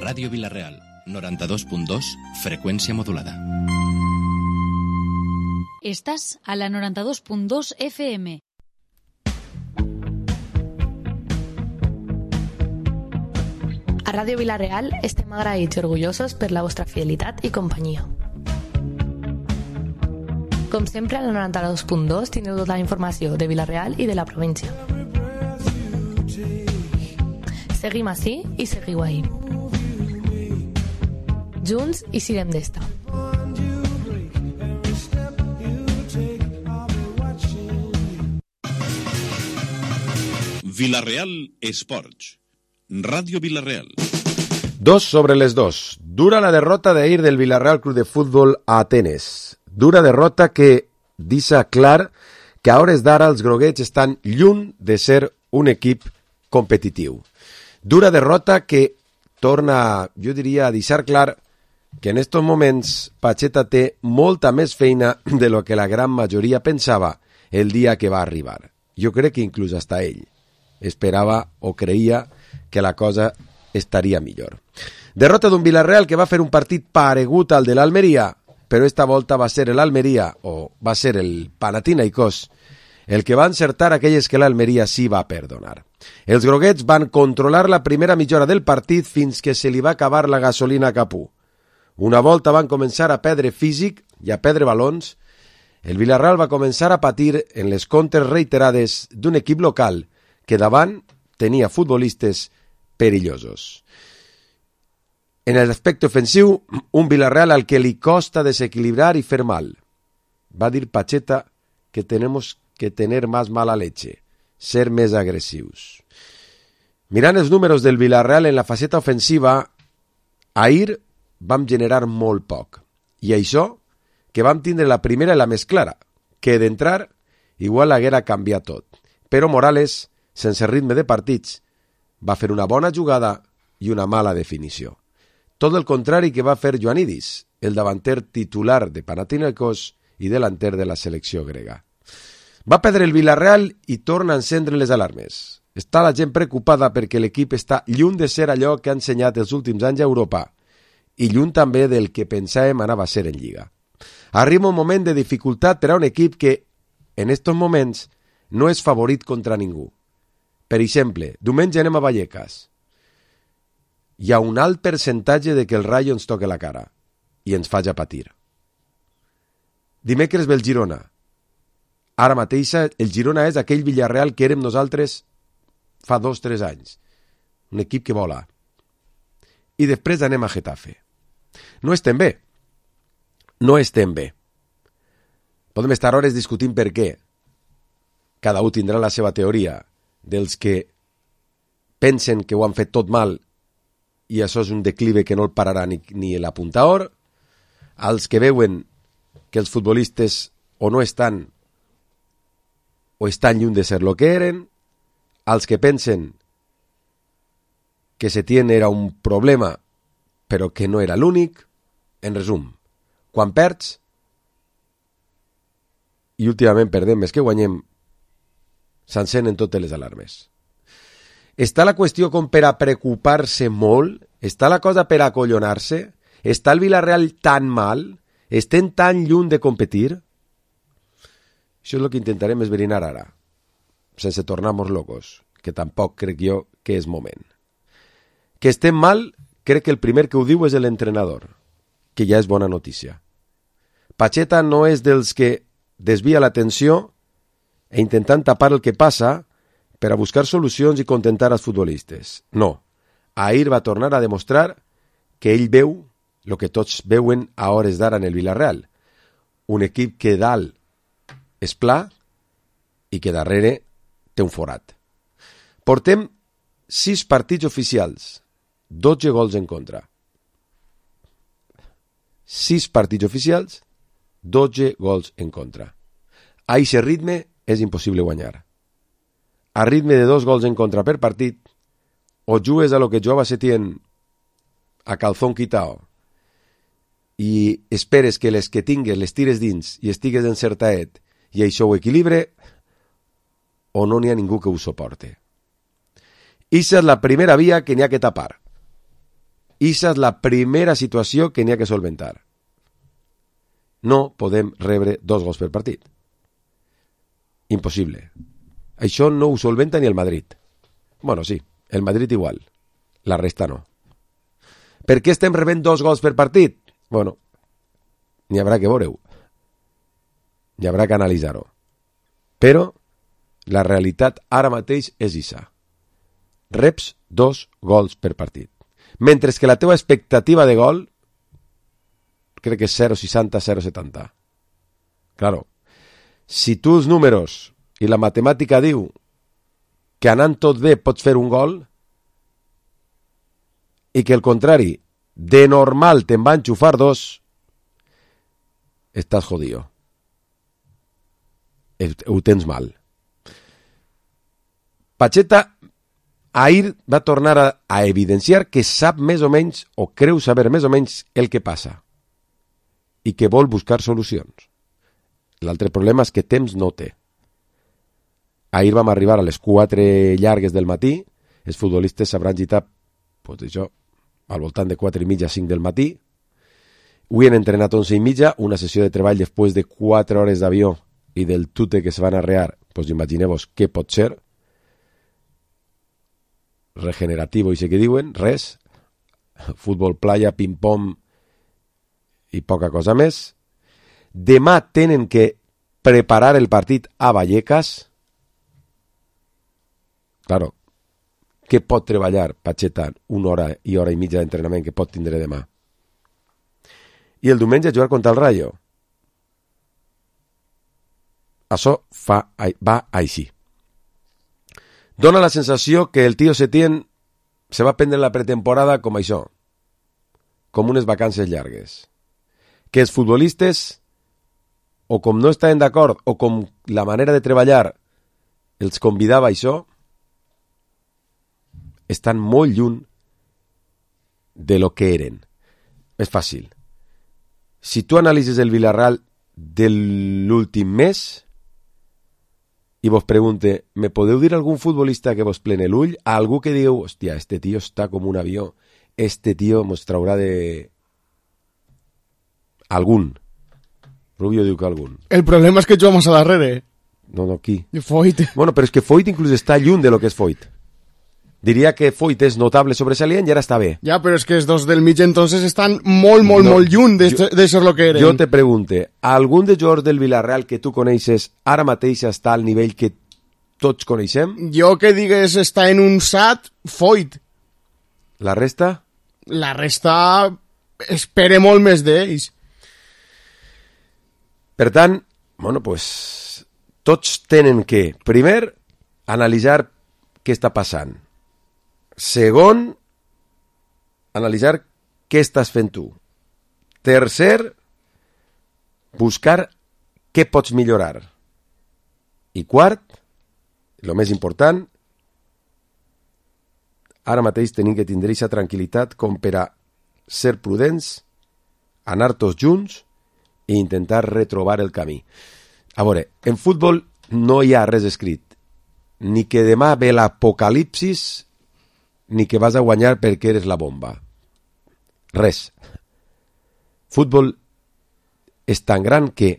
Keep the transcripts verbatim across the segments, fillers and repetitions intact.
Ràdio Vila-real, noranta-dos punt dos, freqüència modulada. Estàs a la noranta-dos punt dos F M. A Ràdio Vila-real estem agraïts i orgullosos per la vostra fidelitat i companyia. Com sempre, a la noranta-dos punt dos tindreu tota la informació de Vila-real i de la província. Seguim ací i seguiu ahí. Junts i siguem d'esta. Vila-real Esports. Ràdio Vila-real. Dos sobre les dos. Dura la derrota d'ahir del Vila-real Club de Futbol a Atenes. Dura derrota que deixa clar que a hores d'ara els groguets estan lluny de ser un equip competitiu. Dura derrota que torna, jo diria, a deixar clar que en estos moments Pacheta té molta més feina de lo que la gran majoria pensava el dia que va arribar. Jo crec que inclús hasta ell esperava o creia que la cosa estaria millor. Derrota d'un Vila-real que va fer un partit paregut al de l'Almeria, però esta volta va ser l'Almeria, o va ser el Panathinaikos, el que va encertar aquelles que l'Almeria sí va perdonar. Els groguets van controlar la primera mitja hora del partit fins que se li va acabar la gasolina a Capú. Una volta van començar a perdre físic i a perdre balons, el Vila-real va començar a patir en les contres reiterades d'un equip local que davant tenia futbolistes perillosos. En el aspecte ofensiu, un Vila-real al que li costa desequilibrar i fer mal. Va dir Pacheta que tenemos que tener más mala leche, ser més agressius. Mirant els números del Vila-real en la faceta ofensiva, ahir vam generar molt poc. I això, que vam tindre la primera i la més clara, que d'entrar igual haguera canviat tot. Però Morales, sense ritme de partits, va fer una bona jugada i una mala definició. Tot el contrari que va fer Ioannidis, el davanter titular de Panathinaikos i delanter de la selecció grega. Va perdre el Vila-real i torna a encendre les alarmes. Està la gent preocupada perquè l'equip està lluny de ser allò que ha ensenyat els últims anys a Europa i lluny també del que pensàvem anava a ser en Lliga. Arriba un moment de dificultat per a un equip que, en estos moments, no és favorit contra ningú. Per exemple, diumenge anem a Vallecas. Hi ha un alt percentatge de que el Rayo ens toque la cara i ens faci patir. Dimecres ve el Girona. Ara mateix el Girona és aquell Villarreal que érem nosaltres fa dos o tres anys. Un equip que vola. I després anem a Getafe. No estem bé. No estem bé. Podem estar hores discutint per què. Cada un tindrà la seva teoria dels que pensen que ho han fet tot mal i això és un declive que no el pararà ni, ni l'apuntador, als que veuen que els futbolistes o no estan o estan lluny de ser lo que eren, als que pensen que Setién era un problema però que no era l'únic. En resum, quan perds i últimament perdem més que guanyem, s'encenen totes les alarmes. Està la qüestió com per a preocupar-se molt? Està la cosa per a acollonar-se? Està el Vila-real tan mal? Estem tan lluny de competir? Això és el que intentarem esbrinar ara, sense tornar-nos locos, que tampoc crec jo que és moment. Que estem mal, crec que el primer que ho diu és l'entrenador, que ja és bona notícia. Pacheta no és dels que desvia l'atenció e intentant tapar el que passa per a buscar solucions i contentar els futbolistes. No, ahir va tornar a demostrar que ell veu el que tots veuen a hores d'ara en el Vila-real. Un equip que dalt és pla i que darrere té un forat. Portem sis partits oficials, dotze gols en contra. Sis partits oficials, dotze gols en contra. A aquest ritme és impossible guanyar. A ritme de dos gols en contra per partit, o jugues a lo que jugava Setién a calzón quitao i esperes que les que tingues les tires dins i estigues encertaet i això ho equilibre, o no n'hi ha ningú que ho suporte. Ixa és la primera via que n'hi ha que tapar. Ixa és la primera situació que n'hi ha que solventar. No podem rebre dos gols per partit. Impossible. Això no ho solventa ni el Madrid. Bueno, sí, el Madrid igual. La resta no. Per què estem rebent dos gols per partit? Bueno, n'hi haurà que veure-ho. N'hi haurà que analitzar-ho. Però la realitat ara mateix és ixa. Reps dos gols per partit. Mentre que la teva expectativa de gol crec que és zero coma seixanta, zero coma setanta. Claro, si tu els números i la matemàtica diu que anant tot bé pots fer un gol i que el contrari, de normal te'n va enxufar dos, estàs jodido. Ho tens mal. Pacheta ahir va tornar a, a evidenciar que sap més o menys, o creu saber més o menys el que passa i que vol buscar solucions. L'altre problema és que temps no té. Ahir vam arribar a les quatre llargues del matí, els futbolistes s'hauran gitat pues, això, al voltant de quatre i mitja, cinc del matí. Avui han entrenat onze i mitja, una sessió de treball després de quatre hores d'avió i del tute que se van arrear, pues imagineu-vos què pot ser. Regenerativo, i sé què diuen, res. Futbol playa, ping-pong i poca cosa més. Demà tenen que preparar el partit a Vallecas. Claro, què pot treballar Pacheta una hora i hora i mitja d'entrenament que pot tindre demà? I el diumenge jugar contra el Rayo. Això fa, va així. Dona la sensació que el tio Setién se va prendre la pretemporada com això, com unes vacances llargues. Que els futbolistes, o com no estaven d'acord, o com la manera de treballar els convidava a això, estan molt lluny de lo que eren. És fàcil. Si tu analitzes el Villarreal de l'últim mes i vos pregunte, me podeu dir algun futbolista que vos plene l'ull? A algú que diu, hòstia, este tio està com un avió, este tio mos traurà de... Algun. Rubio diu que algun. El problema és que juga més a darrere. No, no, qui? Foyt. Bueno, però és que Foyt inclús està lluny de lo que és Foyt. Diria que Foyt és notable sobresalient i ara està bé. Ja, però és que els dos del mig entonces estan molt, molt, no, molt lluny de, jo, de ser lo que eren. Jo te pregunte, algun de jugadors del Villarreal que tu coneixes ara mateix està al nivell que tots coneixem? Jo que digues està en un sat, Foyt. La resta? La resta espere molt més d'ells. Per tant, bueno, pues, tots tenen que, primer, analitzar què està passant. Segon, analitzar què estàs fent tu. Tercer, buscar què pots millorar. I quart, el més important, ara mateix tenim que tindre aquesta tranquil·litat com per a ser prudents, anar tots junts i intentar retrobar el camí. A veure, en futbol no hi ha res escrit. Ni que demà ve l'apocalipsis, ni que vas a guanyar perquè eres la bomba. Res. Futbol és tan gran que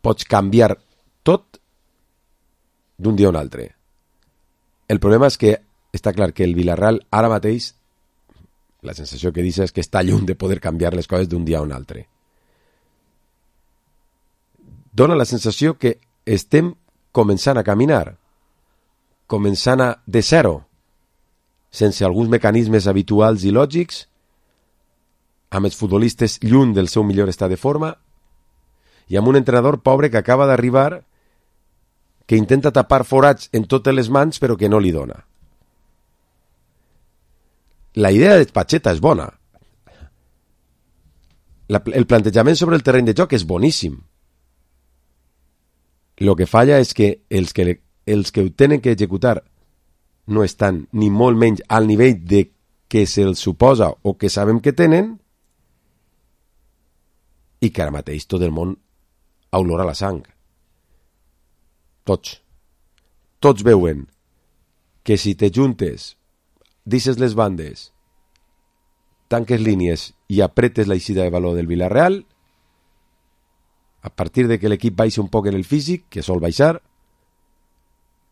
pots canviar tot d'un dia a un altre. El problema és que està clar que el Villarreal ara mateix, la sensació que dius és que està lluny de poder canviar les coses d'un dia a un altre. Dona la sensació que estem començant a caminar, començant a de zero, sense alguns mecanismes habituals i lògics, amb els futbolistes lluny del seu millor estat de forma, i amb un entrenador pobre que acaba d'arribar, que intenta tapar forats en totes les mans, però que no li dona. La idea de Pacheta és bona. La, el plantejament sobre el terreny de joc és boníssim. Lo que falla és que els que, els que ho tenen que executar no estan ni molt menys al nivell de que se'ls suposa o que sabem que tenen, i que ara mateix tot el món olora la sang. Tots. Tots veuen que si te juntes, deixes les bandes tanques línies i apretes la eixida de valor del Villarreal, a partir de que l'equip baixi un poc en el físic, que sol baixar,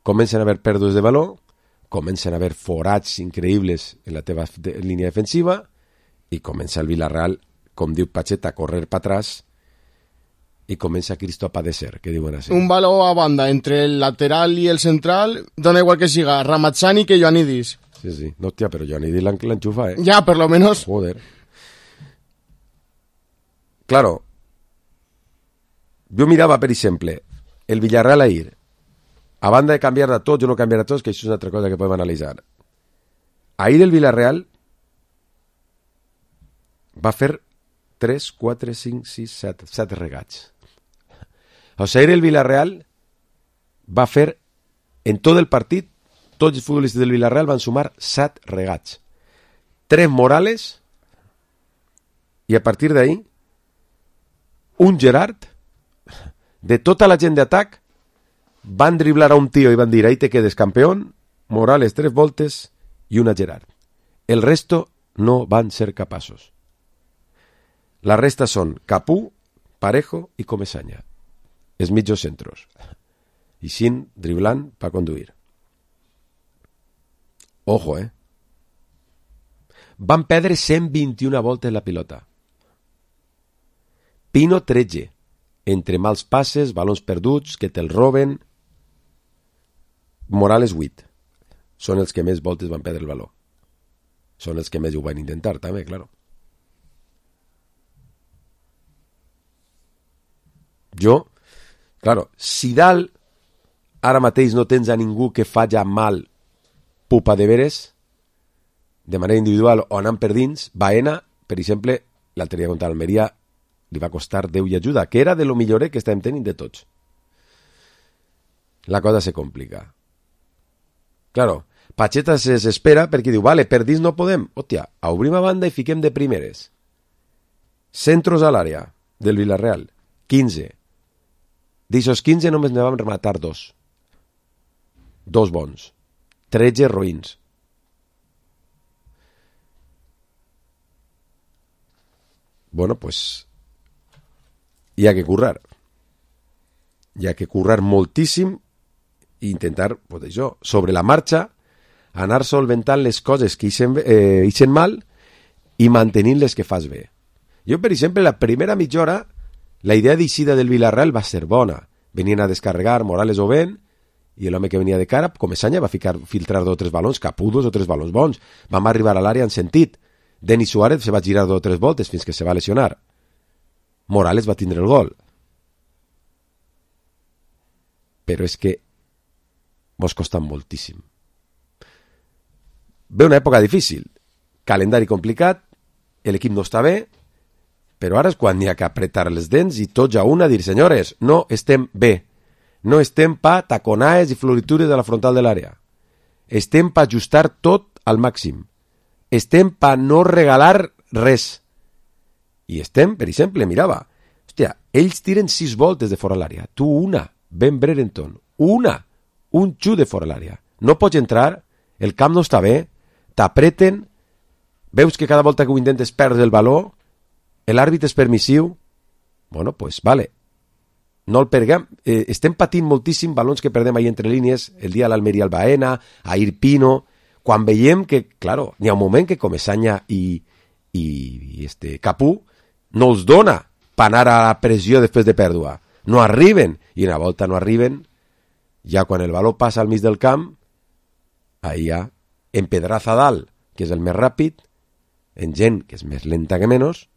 comencen a haver pèrdues de valor, comencen a haver forats increïbles en la teva de, línia defensiva i comença el Villarreal, com diu Pacheta, a córrer per atrás i comença Cristo a padecer, que diuen així. Un valor a banda entre el lateral i el central, dona igual que siga Ramazzani que Ioannidis. Sí, sí. No, hòstia, però Ioannidis l'enxufa, eh? Ja, per lo menos. Joder. Claro, jo mirava, per exemple, el Villarreal ahir, a banda de canviar a tots o no canviar a tots, que això és una altra cosa que podem analitzar. Ahir el Villarreal va fer tres, quatre, cinc, sis, set, set regats. O sigui, ahir el Villarreal va fer, en tot el partit, tots els futbolistes del Villarreal van sumar set regats. Tres Morales i a partir d'ahir un Gerard, de tota la gent d'atac, van driblar a un tio i van dir ahí te quedes campeón, Morales tres voltes i una Gerard. El resto no van ser capaços. La resta són Capú, Parejo i Comesaña, els mitjos centros. I sin driblant per conduir. Ojo, eh? Van perdre cent vint-i-una voltes la pilota. Pino tretze, entre mals passes, balons perduts, que te'l roben. Morales vuit. Són els que més voltes van perdre el valor. Són els que més ho van intentar, també, claro. Jo, claro, si dalt ara mateix no tens a ningú que faci mal pupa de veres, de manera individual o anant per dins, Baena, per exemple, l'altre dia contra l'Almeria, li va costar Déu i ajuda, que era de lo millorer que estàvem tenint de tots. La cosa se complica. Claro, Pacheta se desespera perquè diu, vale, per dins no podem. Hòstia, obrim a banda i fiquem de primeres. Centros a l'àrea del Villarreal, quinze. D'aixòs quinze només ne vam rematar dos. Dos bons. tretze roïns. Bueno, pues hi ha que currar. Hi ha que currar moltíssim i intentar, pues això, sobre la marxa, anar solventant les coses que ixen, eh, ixen mal i mantenint les que fas bé. Jo, per exemple, la primera mitja hora, la idea d'eixida del Villarreal va ser bona. Venien a descarregar Morales o Ben, i l'home que venia de cara, Comesaña, va ficar, filtrar dos o tres balons, Capú dos o tres balons bons. Vam arribar a l'àrea en sentit. Denis Suárez se va girar dos o tres voltes fins que se va lesionar. Morales va tindre el gol. Però és que mos costa moltíssim. Ve una època difícil, calendari complicat, l'equip no està bé, però ara és quan n'hi ha que apretar les dents i tots a una dir, senyores, no estem bé. No estem pa taconaes i floritures a la frontal de l'àrea. Estem pa ajustar tot al màxim. Estem pa no regalar res. I estem, per exemple, mirava, hòstia, ells tiren sis voltes de fora l'àrea, tu una, Ben Brereton, una, un xut de fora l'àrea. No pots entrar, el camp no està bé, t'apreten, veus que cada volta que ho intentes perdre el valor, l'àrbit és permissiu, bueno, pues vale, no el perguem, eh, estem patint moltíssim balons que perdem ahí entre línies, el dia l'Almeria al Baena, a Irpino, quan veiem que, claro, n'hi ha un moment que Comesaña i, i, i este Capú no els dona per anar a la pressió després de pèrdua. No arriben, i una volta no arriben, ja quan el valor passa al mig del camp, ahí hi ha en Pedraza dalt, que és el més ràpid, en gent que és més lenta que menys,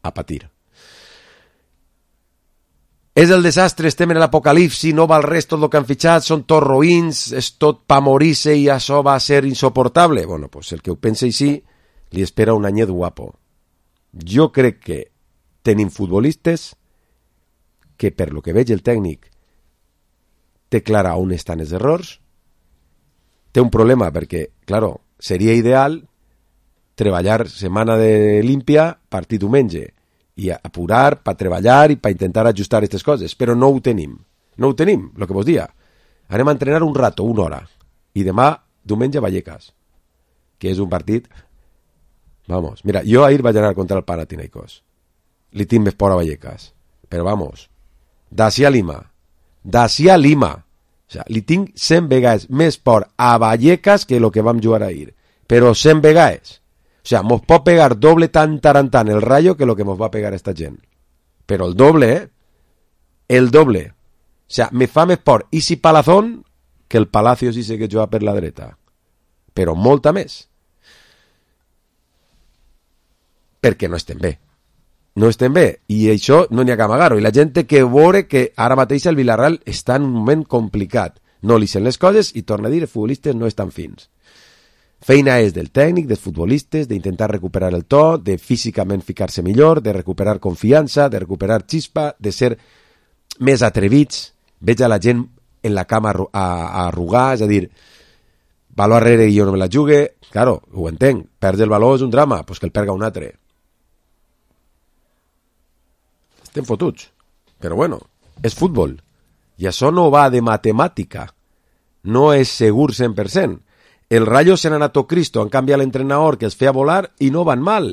a patir. És el desastre, estem en l'apocalipsi, no val res tot el que han fitxat, són tots roïns, és tot pa morir-se i això va ser insoportable. Bueno, pues el que ho pensa així li espera un anyet guapo. Jo crec que tenim futbolistes que, per lo que veig el tècnic, té clara on estan els errors, té un problema perquè, claro, seria ideal treballar setmana de límpia, partit diumenge, i apurar per treballar i per intentar ajustar aquestes coses, però no ho tenim. No ho tenim, el que vos dia. Anem a entrenar un rato, una hora, i demà, diumenge, Vallecas, que és un partit Vamos, mira, jo ahir vaig anar contra el Panathinaikos. Li tinc més por a Vallecas. Però vamos, d'ací a Lima, d'ací a Lima, o sea, li tinc cent vegades més por a Vallecas que lo que vam jugar ahir. Però cent vegades. O sea, mos pot pegar doble tan tarantant el Rayo que lo que mos va pegar esta gent. Però el doble, eh? El doble. O sea, me fa més por Isi Palazón que el Palacio si sé que juga per la dreta. Però molta més. Perquè no estem bé. No estem bé. I això no n'hi ha que amagar-ho. I la gent té que veure que ara mateix el Villarreal està en un moment complicat. No li sent les coses i torna a dir, els futbolistes no estan fins. Feina és del tècnic, dels futbolistes, d'intentar recuperar el to, de físicament ficar-se millor, de recuperar confiança, de recuperar xispa, de ser més atrevits. Veig a la gent en la cama a, a arrugar, és a dir, baló arrere i jo no me la jugue. Claro, ho entenc, perdre el baló és un drama, doncs que el perga un altre. Estem fotuts, però bueno, és futbol, i això no va de matemàtica, no és segur cent per cent. El Rayo se n'ha anat a Cristo, han canviat l'entrenador que els feia volar i no van mal.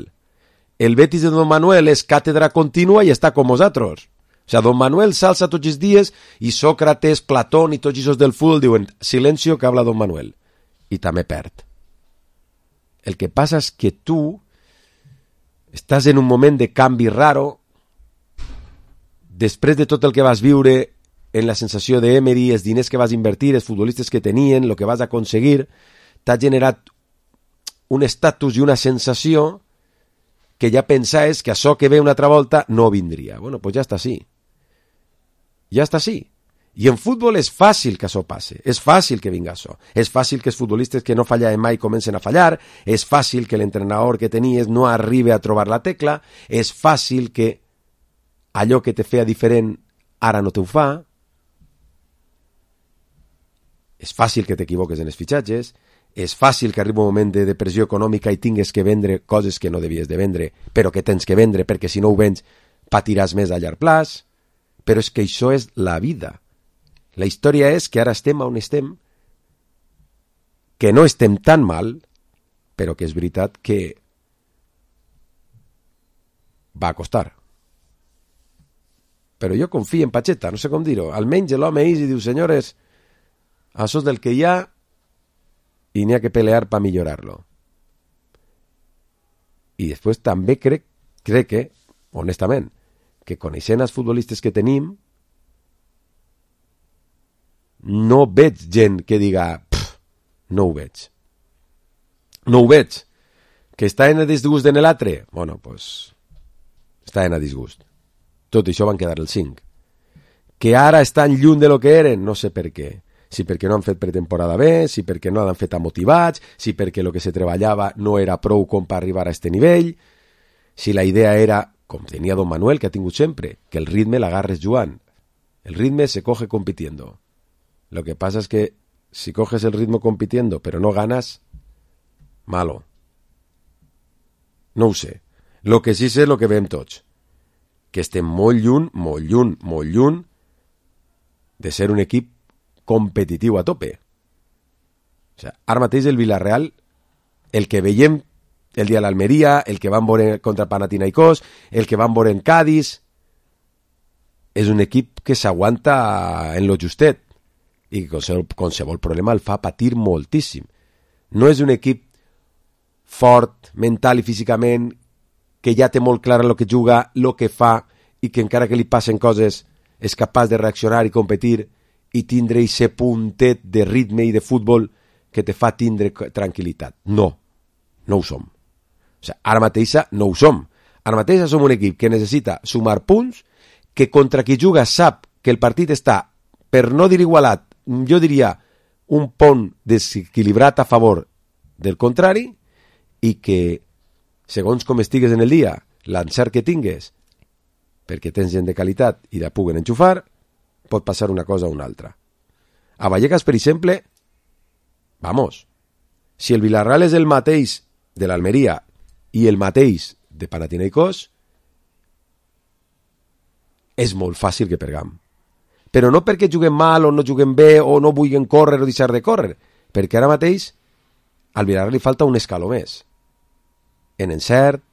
El Betis de Don Manuel és càtedra contínua i està com nosaltres. O sea, Don Manuel s'alça tots els dies i Sócrates, Platón i tots els del futbol diuen silencio que habla Don Manuel. I també perd. El que passa és que tu estàs en un moment de canvi raro després de tot el que vas viure en la sensació d'Emery, els diners que vas invertir, els futbolistes que tenien, el que vas aconseguir, t'ha generat un estatus i una sensació que ja pensaves que això que ve una altra volta no vindria. Bueno, pues ja està així. Ja està així. I en futbol és fàcil que això passe, és fàcil que vinga això, és fàcil que els futbolistes que no fallaven mai comencen a fallar, és fàcil que l'entrenador que tenies no arribi a trobar la tecla, és fàcil que allò que te feia diferent ara no te ho fa, és fàcil que t'equivoques en els fitxatges, és fàcil que arribi un moment de depressió econòmica i tingues que vendre coses que no devies de vendre, però que tens que vendre perquè si no ho vens patiràs més a llarg plaç, però és que això és la vida. La història és que ara estem on estem, que no estem tan mal, però que és veritat que va a costar. Però jo confio en Pacheta, no sé com dir-ho. Almenys l'home és i diu, senyores, això és del que hi ha i n'hi ha que pelear per millorar-lo. I després també crec, crec que, honestament, que coneixent els futbolistes que tenim, no veig gent que diga no ho veig. No ho veig. Que està en el disgust en l'altre? Bueno, pues està en el disgust. Tot això van quedar el cinc. Que ara estan lluny de lo que eren? No sé per què. Si perquè no han fet pretemporada bé, si perquè no han fet motivats, si perquè el que se treballava no era prou com per arribar a este nivell, si la idea era, com tenia Don Manuel, que ha tingut sempre, que el ritme l'agarres jugant. El ritme se coge compitiendo. Lo que pasa es que si coges el ritmo compitiendo pero no ganas, malo. No ho sé. Lo que sí sé és lo que veiem tots. Que estem molt lluny, molt lluny, molt lluny de ser un equip competitiu a tope. O sea, ara mateix el Villarreal, el que veiem el dia de l'Almeria, el que van veure contra Panathinaikos, el que van veure en Cádiz, és un equip que s'aguanta en lo justet i que qualsevol problema el fa patir moltíssim. No és un equip fort, mental i físicament, que ja té molt clar el que juga, el que fa, i que encara que li passen coses és capaç de reaccionar i competir i tindre aquest puntet de ritme i de futbol que te fa tindre tranquil·litat. No, no ho som. O sigui, ara mateixa no ho som. Ara mateixa som un equip que necessita sumar punts, que contra qui juga sap que el partit està, per no dir igualat, jo diria un pont desequilibrat a favor del contrari, i que segons com estigues en el dia, l'encert que tingues, perquè tens gent de qualitat i la puguen enxufar, pot passar una cosa o una altra. A Vallecas, per exemple, vamos, si el Villarreal és el mateix de l'Almeria i el mateix de Panathinaikos, és molt fàcil que pergam. Però no perquè juguem mal o no juguem bé o no vulguin córrer o deixar de córrer, perquè ara mateix al Villarreal li falta un escaló més. en encert,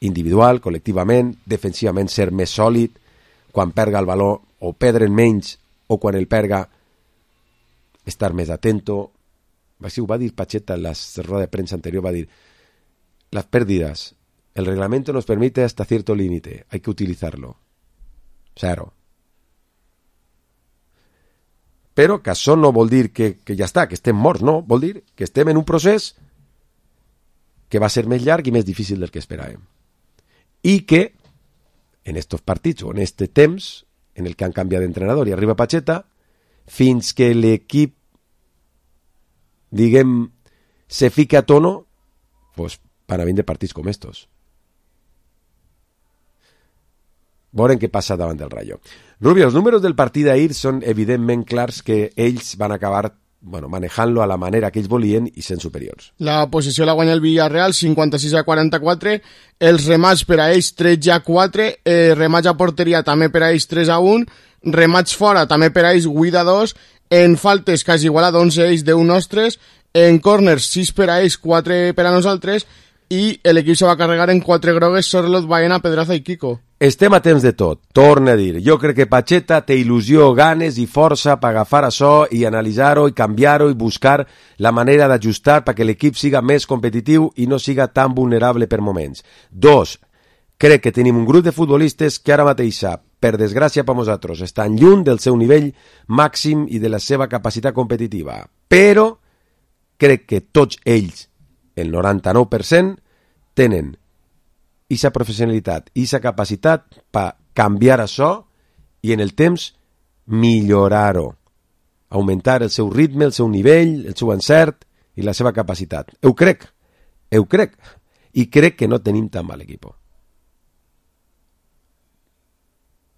individual, col·lectivament, defensivament ser més sòlid, quan perga el valor o perdre'n menys, o quan el perga estar més atento. Així ho va dir Pacheta en la roda de premsa anterior, va dir, las pérdidas, el reglamento nos permite hasta cierto límite, hay que utilizarlo. Zero. Però que això no vol dir que, que ja està, que estem morts, no, vol dir que estem en un procés que va ser més llarg i més difícil del que esperàvem. I que en estos partits o en este temps en el que han canviat d'entrenador i arriba Pacheta, fins que l'equip, diguem, se fica a tono, pues van a vindre partits com estos. Veurem què passa davant del Rayo. Rubio, els números del partit d'ahir són evidentment clars que ells van acabar bueno, manejant-lo a la manera que ells volien i sent superiors. La posició la guanya el Villarreal, cinquanta-sis a quaranta-quatre, els remats per a ells tretze a quatre, eh, remats a porteria també per a ells tres a un, remats fora també per a ells vuit a dos, en faltes quasi igual a onze ells, deu nostres, en corners sis per a ells, quatre per a nosaltres, i l'equip se va carregar en quatre grogues, Sorlot, Baena, Pedraza i Kiko. Estem a temps de tot, torna a dir. Jo crec que Pacheta té il·lusió, ganes i força per agafar això i analitzar-ho i canviar-ho i buscar la manera d'ajustar perquè l'equip siga més competitiu i no siga tan vulnerable per moments. Dos, crec que tenim un grup de futbolistes que ara mateix, per desgràcia per nosaltres, estan lluny del seu nivell màxim i de la seva capacitat competitiva. Però crec que tots ells, el noranta-nou per cent, tenen aquesta professionalitat i aquesta capacitat per canviar això i en el temps millorar-ho, augmentar el seu ritme, el seu nivell, el seu encert i la seva capacitat. Ho crec, ho crec, i crec que no tenim tan mal equip.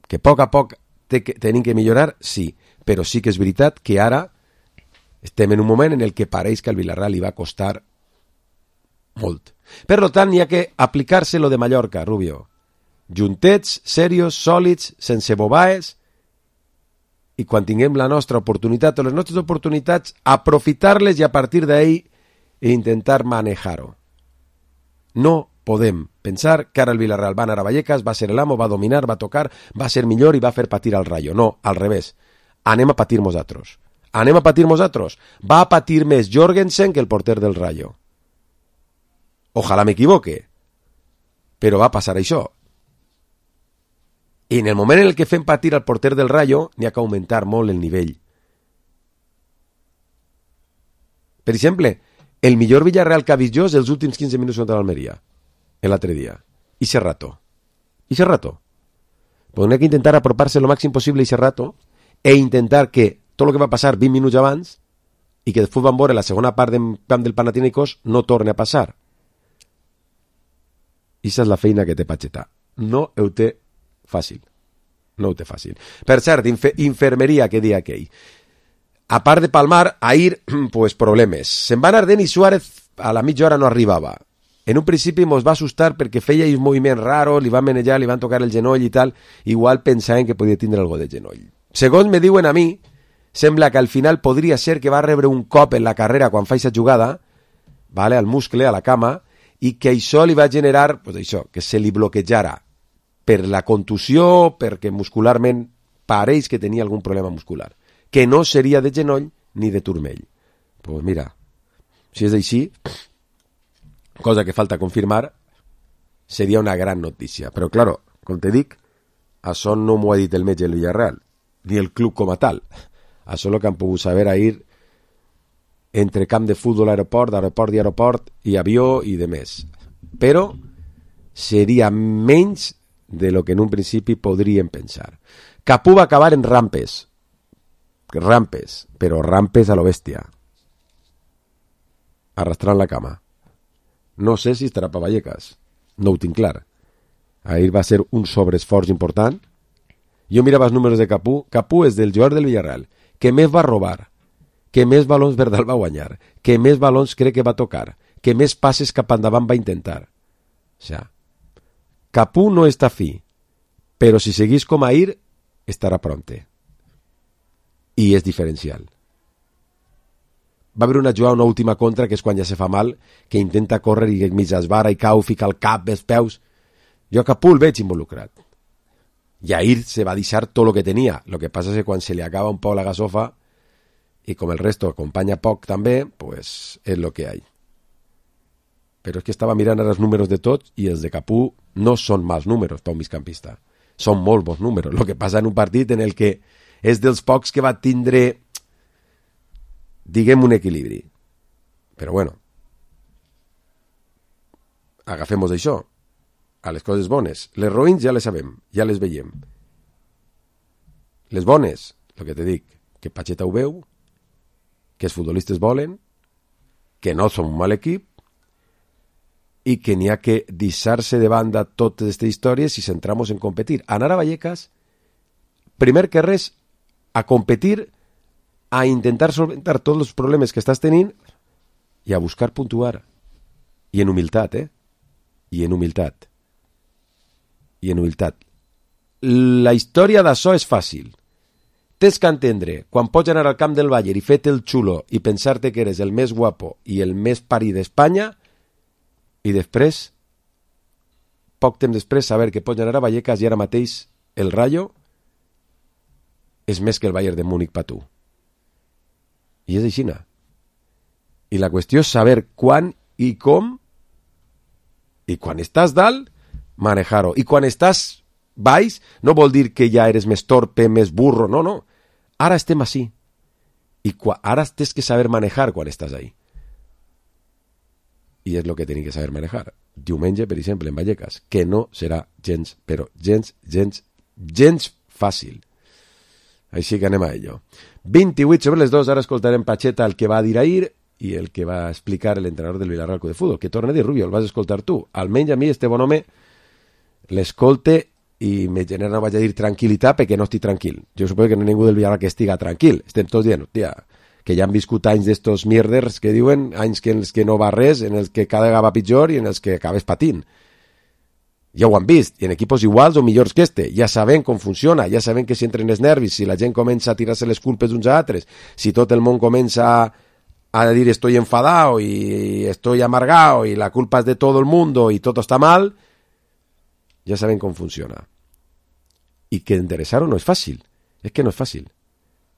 Que a poc a poc te, que, tenim que millorar, sí, però sí que és veritat que ara estem en un moment en el que pareix que al Villarreal li va costar molt. Per tant, hi ha que aplicar-se lo de Mallorca, Rubio. Juntets, serios, sòlids, sense bobaes, i quan tinguem la nostra oportunitat o les nostres oportunitats, aprofitar-les i a partir d'ahí intentar manejar-ho. No podem pensar que ara el Villarreal va anar a Vallecas, va ser l'amo, va dominar, va tocar, va ser millor i va fer patir al Rayo. No, al revés. Anem a patir nosaltres. Anem a patir nosaltres. Va a patir més Jorgensen que el porter del Rayo. Ojalà m'equivoque, però va passar això. I en el moment en el que fem patir al porter del Rayo, n'hi ha que augmentar molt el nivell. Per exemple, el millor Villarreal que ha vist jo és els últims quinze minuts contra l'Almeria, l'altre dia. I ese rato. I ese rato. Però n'hi ha que intentar apropar-se lo màxim possible a ese rato e intentar que tot el que va passar vint minuts abans i que després van veure la segona part del camp del Panathinaikos no torni a passar. I aquesta és la feina que té Pacheta. No ho té fàcil. No ho té fàcil. Per cert, infe- infermeria, que dia aquell. A part de palmar, ahir, pues problemes. Se'n va anar Denis Suárez, a la mitja hora no arribava. En un principi mos va assustar perquè feia un moviment raro, li van manejar, li van tocar el genoll i tal, igual pensaven que podia tindre algo de genoll. Segons me diuen a mi, sembla que al final podria ser que va rebre un cop en la carrera quan fa aquesta jugada, vale, al muscle, a la cama, i que això li va generar, pues això, que se li bloquejara per la contusió, perquè muscularment pareix que tenia algun problema muscular, que no seria de genoll ni de turmell. Pues mira, si és així, cosa que falta confirmar, seria una gran notícia. Però, claro, com te dic, això no m'ho ha dit el metge del Villarreal, ni el club com a tal. Això és el que han pogut saber ahir entre camp de futbol, aeroport, aeroport i aeroport, i avió i de més. Però seria menys de lo que en un principi podríem pensar. Capú va acabar en rampes. Rampes, però rampes a lo bèstia. Arrastrant la cama. No sé si estarà per Vallecas. No ho tinc clar. Ahir va ser un sobreesforç important. Jo mirava els números de Capú. Capú és del jugador del Villarreal que més va robar, que més balons Verdal va guanyar, que més balons crec que va tocar, que més passes cap endavant va intentar. O sea, Capú no està fi, però si seguís com ahir, estarà pronte. I és diferencial. va haver una jugada, una última contra, que és quan ja se fa mal, que intenta córrer i mig esbara i cau, fica el cap, els peus. Jo a Capú el veig involucrat. I ahir se va deixar tot el que tenia. Lo que passa és que quan se li acaba un poc la gasofa, i com el resto acompanya poc també, pues és lo que hay. Però és que estava mirant ara els números de tots i els de Capú no són mals números per un migcampista. Són molt bons números. El que passa en un partit en el que és dels pocs que va tindre, diguem, un equilibri. Però bueno, agafem-nos això. A les coses bones. Les roïns ja les sabem, ja les veiem. Les bones, el que te dic, que Pacheta ho veu, que els futbolistes volen, que no són un mal equip, i que n'hi ha que deixar-se de banda totes aquestes històries i centrar-nos en competir. Anar a Vallecas, primer que res, a competir, a intentar solventar tots els problemes que estàs tenint i a buscar puntuar. I en humilitat, eh? I en humilitat. I en humilitat. La història d'això és fàcil. Tens que entendre, quan pots anar al camp del Bayern i fer-te el xulo i pensar-te que eres el més guapo i el més parí d'Espanya, i després, poc temps després, saber que pots anar a Vallecas i ara mateix el Rayo és més que el Bayern de Múnich per tu. I és així. I la qüestió és saber quan i com, i quan estàs dalt, manejar-ho. I quan estàs baix, no vol dir que ja eres més torpe, més burro, no, no. Ara estem així. I ara tens que saber manejar quan estàs ahí. I és el que tenim que saber manejar. Diumenge, per exemple, en Vallecas, que no serà gens, però gens, gens, gens fàcil. Així que anem a ello. vint-i-vuit sobre les dos, ara escoltarem Pacheta, el que va dir ahir i el que va explicar l'entrenador del Villarreal Club de Futbol, que torna a dir, Rubio, el vas escoltar tu. Almenys a mi, este bon home, l'escolte i me genera, no vaig a dir tranquil·litat, perquè no estic tranquil. Jo suposo que no hi ha ningú del Villarreal que estiga tranquil. Estem tots dient, hòstia, que ja han viscut anys d'estos mierders que diuen, anys que en els que no va res, en els que cada vegada va pitjor i en els que acabes patint. Ja ho han vist, i en equipos iguals o millors que este. Ja sabem com funciona, ja sabem que si entren els nervis, si la gent comença a tirar-se les culpes uns a altres, si tot el món comença a dir estoy enfadado y estoy amargado y la culpa es de todo el mundo y todo está mal, ja sabem com funciona. I que enderezar-ho no és fàcil. És que no és fàcil.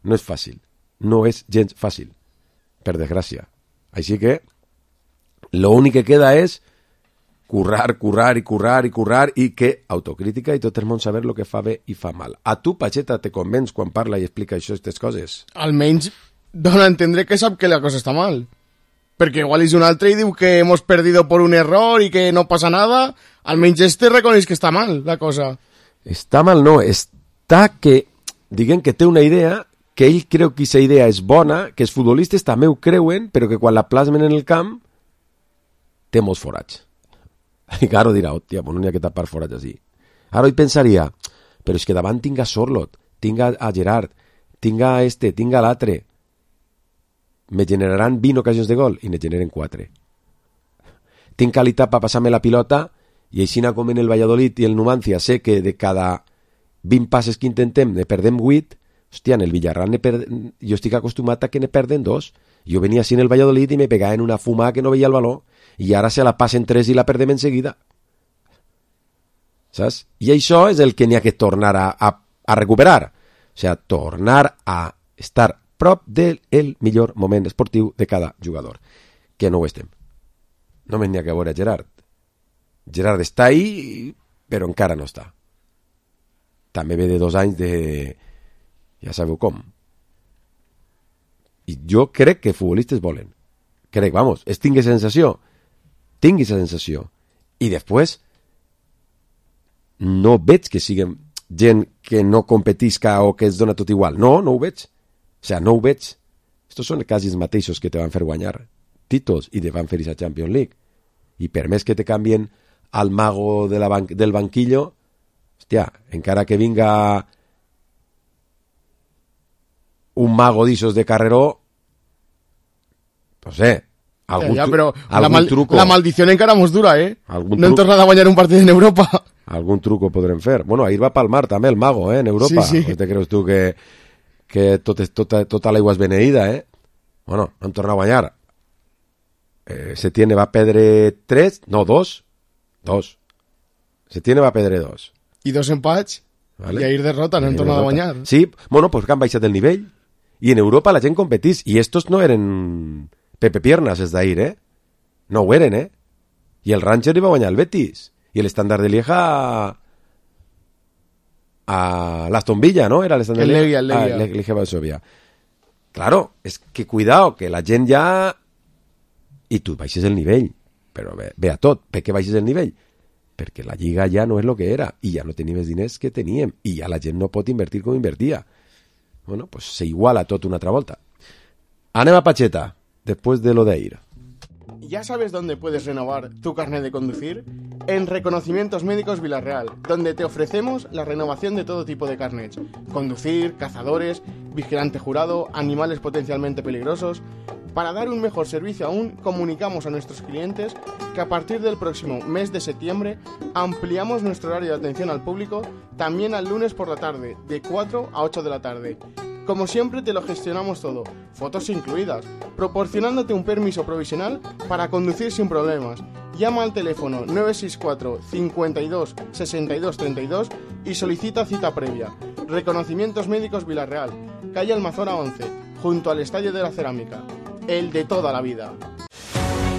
No és fàcil. No és gens fàcil, per desgràcia. Així que l'únic que queda és currar, currar i currar i currar i que autocrítica i tot el món saber el que fa bé i fa mal. A tu, Pacheta, te convenç quan parla i explica això, aquestes coses? Almenys dona a entendre que sap que la cosa està mal. Perquè igual és un altre i diu que hemos perdido por un error i que no passa nada. Almenys este reconeix que està mal la cosa. Està mal no, està que, diguem que té una idea, que ell creu que aquesta idea és bona, que els futbolistes també ho creuen, però que quan la plasmen en el camp té molts forats. I Caro dirà, hòstia, no n'hi ha que tapar forats així. Ara ell pensaria, però és que davant tinc a Sorlot, tinc a Gerard, tinc a este, tinc a l'altre. Me generaran vint ocasions de gol i ne generen quatre. Tinc qualitat per passar-me la pilota i així com en el Valladolid i el Numancia sé que de cada vint passes que intentem ne perdem vuit. Hòstia, en el Villarreal ne per... jo estic acostumat a que ne perden dos. Jo venia així en el Valladolid i me pegava en una fumada que no veia el baló i ara se la passen tres i la perdem en seguida. Saps? I això és el que n'hi ha que tornar a, a, a recuperar. O sigui, tornar a estar prop del millor moment esportiu de cada jugador. Que no ho estem. Només n'hi ha que veure a Gerard. Gerard està ahí, però encara no està. També ve de dos anys de... ja sabeu com. I jo crec que futbolistes volen. Crec, vamos, és tingui sensació. Tingui sensació. I després no veig que siguem gent que no competisca o que es dona tot igual. No, no ho veig. O sigui, no ho veig. Estos són quasi els mateixos que te van fer guanyar títols i te van fer a Champions League. I per més que te canvien al mago de la ban del banquillo, hòstia, encara que vinga un mago d'ixos de carreró, no sé, algun, ja, ja, però algun la mal truco. La maldició encara mos dura, eh? Algun no hem tornat a guanyar un partit en Europa. Algun truco podrem fer. Bueno, ahir va palmar també el mago, eh, en Europa. Sí, sí. O te creus tu que, que tot és, tota, tota l'aigua és beneïda, eh? Bueno, no han tornat a guanyar. Eh, Setién va perdre tres, no, dos. Dos. Setién va perdre dos. I dos empats, vale. I ahir derrota, no han tornat a guanyar. Sí, bueno, pues que han baixat el nivell. I en Europa la gent competís. I estos no eren Pepe Piernas, els d'ahir, eh? No ho eren, eh? I el Ranger hi va guanyar el Betis. I el Standard de Lieja a l'Aston Villa, ¿no? Era el Standard de Lieja. El Legia, el Legia Varsovia. Claro, es que cuidado, que la gent ja... I tu baixes el nivell. Però ve, ve a tot. Per què baixes el nivell? Perquè la Lliga ja no és el que era. I ja no tenim els diners que teníem. I ja la gent no pot invertir com invertia. Bueno, pues se iguala tot una altra volta. Anem a Pacheta, después de lo de ir. ¿Ya sabes dónde puedes renovar tu carnet de conducir? En Reconocimientos Médicos Villarreal, donde te ofrecemos la renovación de todo tipo de carnets. Conducir, cazadores, vigilante jurado, animales potencialmente peligrosos. Para dar un mejor servicio aún, comunicamos a nuestros clientes que a partir del próximo mes de septiembre ampliamos nuestro horario de atención al público también al lunes por la tarde, de cuatro a ocho de la tarde. Como siempre te lo gestionamos todo, fotos incluidas, proporcionándote un permiso provisional para conducir sin problemas. Llama al teléfono nueve seis cuatro, cincuenta y dos, sesenta y dos, treinta y dos y solicita cita previa. Reconocimientos Médicos Villarreal, calle Almazora once, junto al Estadio de la Cerámica. El de toda la vida.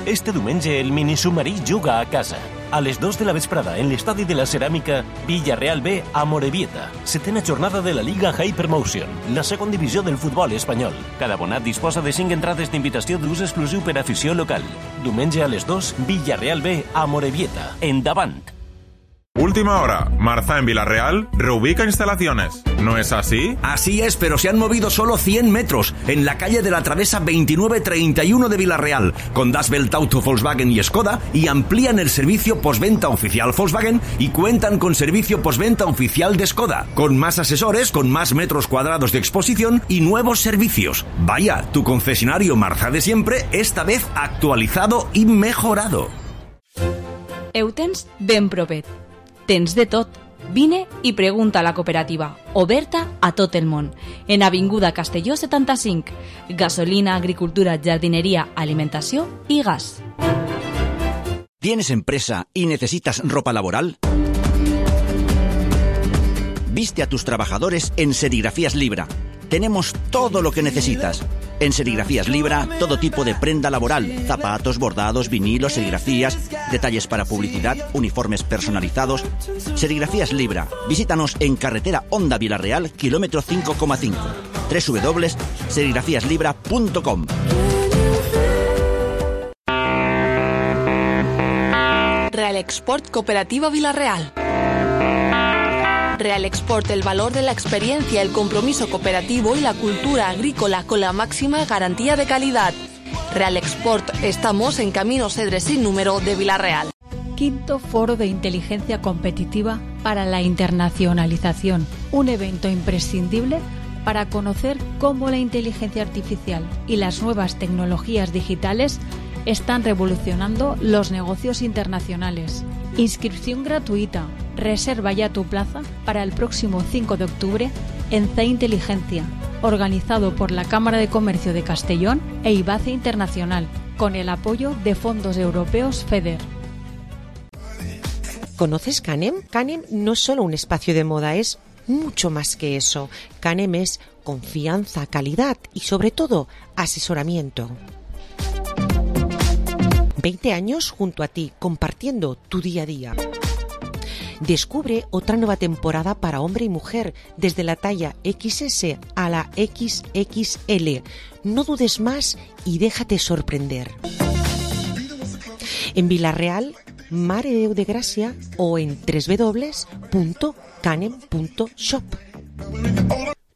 Este diumenge el minisubmarí juga a casa. A les dos de la vesprada en l'estadi de la Ceràmica, Villarreal B a Morevieta. Setena jornada de la Liga Hypermotion, la segona divisió del futbol espanyol. Cada abonat disposa de cinc entrades d'invitació d'ús exclusiu per afició local. Diumenge a les dos, Villarreal B a Morevieta. Endavant! Última hora, Marza en Villarreal reubica instalaciones. ¿No es así? Así es, pero se han movido solo cien metros en la calle de la Travesa veintinueve treinta y uno de Villarreal, con Das Welt Auto Volkswagen y Skoda, y amplían el servicio postventa oficial Volkswagen y cuentan con servicio postventa oficial de Skoda, con más asesores, con más metros cuadrados de exposición y nuevos servicios. Vaya, tu concesionario Marza de siempre, esta vez actualizado y mejorado. Eutens ben propet. Tens de tot. Vine i pregunta a la cooperativa, oberta a tot el món. En Avinguda Castelló setanta-cinc. Gasolina, agricultura, jardinería, alimentació i gas. ¿Tienes empresa y necesitas ropa laboral? Viste a tus trabajadores en Serigrafías Libra. Tenemos todo lo que necesitas. En Serigrafías Libra, todo tipo de prenda laboral, zapatos, bordados, vinilos, serigrafías, detalles para publicidad, uniformes personalizados. Serigrafías Libra. Visítanos en carretera Honda Villarreal, kilómetro cinco coma cinco. doble u doble u doble u punto serigrafías libra punto com. Real Export Cooperativa Villarreal. Real Export, el valor de la experiencia, el compromiso cooperativo y la cultura agrícola con la máxima garantía de calidad. Real Export, estamos en Camino Cedres sin número de Villarreal. Quinto Foro de Inteligencia Competitiva para la Internacionalización, un evento imprescindible para conocer cómo la inteligencia artificial y las nuevas tecnologías digitales están revolucionando los negocios internacionales. Inscripción gratuita. Reserva ya tu plaza para el próximo cinco de octubre en C Inteligencia, organizado por la Cámara de Comercio de Castellón e IBACE Internacional, con el apoyo de fondos europeos FEDER. ¿Conoces Canem? Canem no es solo un espacio de moda, es mucho más que eso. Canem es confianza, calidad y sobre todo asesoramiento. veinte años junto a ti, compartiendo tu día a día. Descubre otra nueva temporada para hombre y mujer, desde la talla equis ese a la equis equis ele. No dudes más y déjate sorprender. En Villarreal, Mare de Déu de Gràcia o en doble u doble u doble u punto canem punto shop.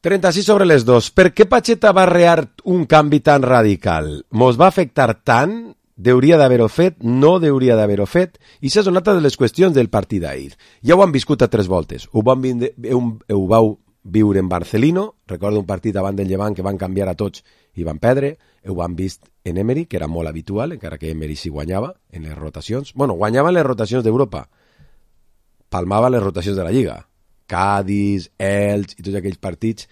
trenta-sis sobre les dos. Per què Pacheta va rear un canvi tan radical? Mos va afectar tant? Deuria d'haver-ho fet, no deuria d'haver-ho fet, i això és una altra de les qüestions del partit d'ahir. Ja ho han viscut a tres voltes. Ho, van vinde, ho, ho vau viure en Barcelino, recordo un partit davant del Llevant que van canviar a tots i van perdre, ho han vist en Emery, que era molt habitual, encara que Emery sí guanyava en les rotacions. Bueno, guanyava les rotacions d'Europa, palmava les rotacions de la Lliga. Cádiz, Elx i tots aquells partits.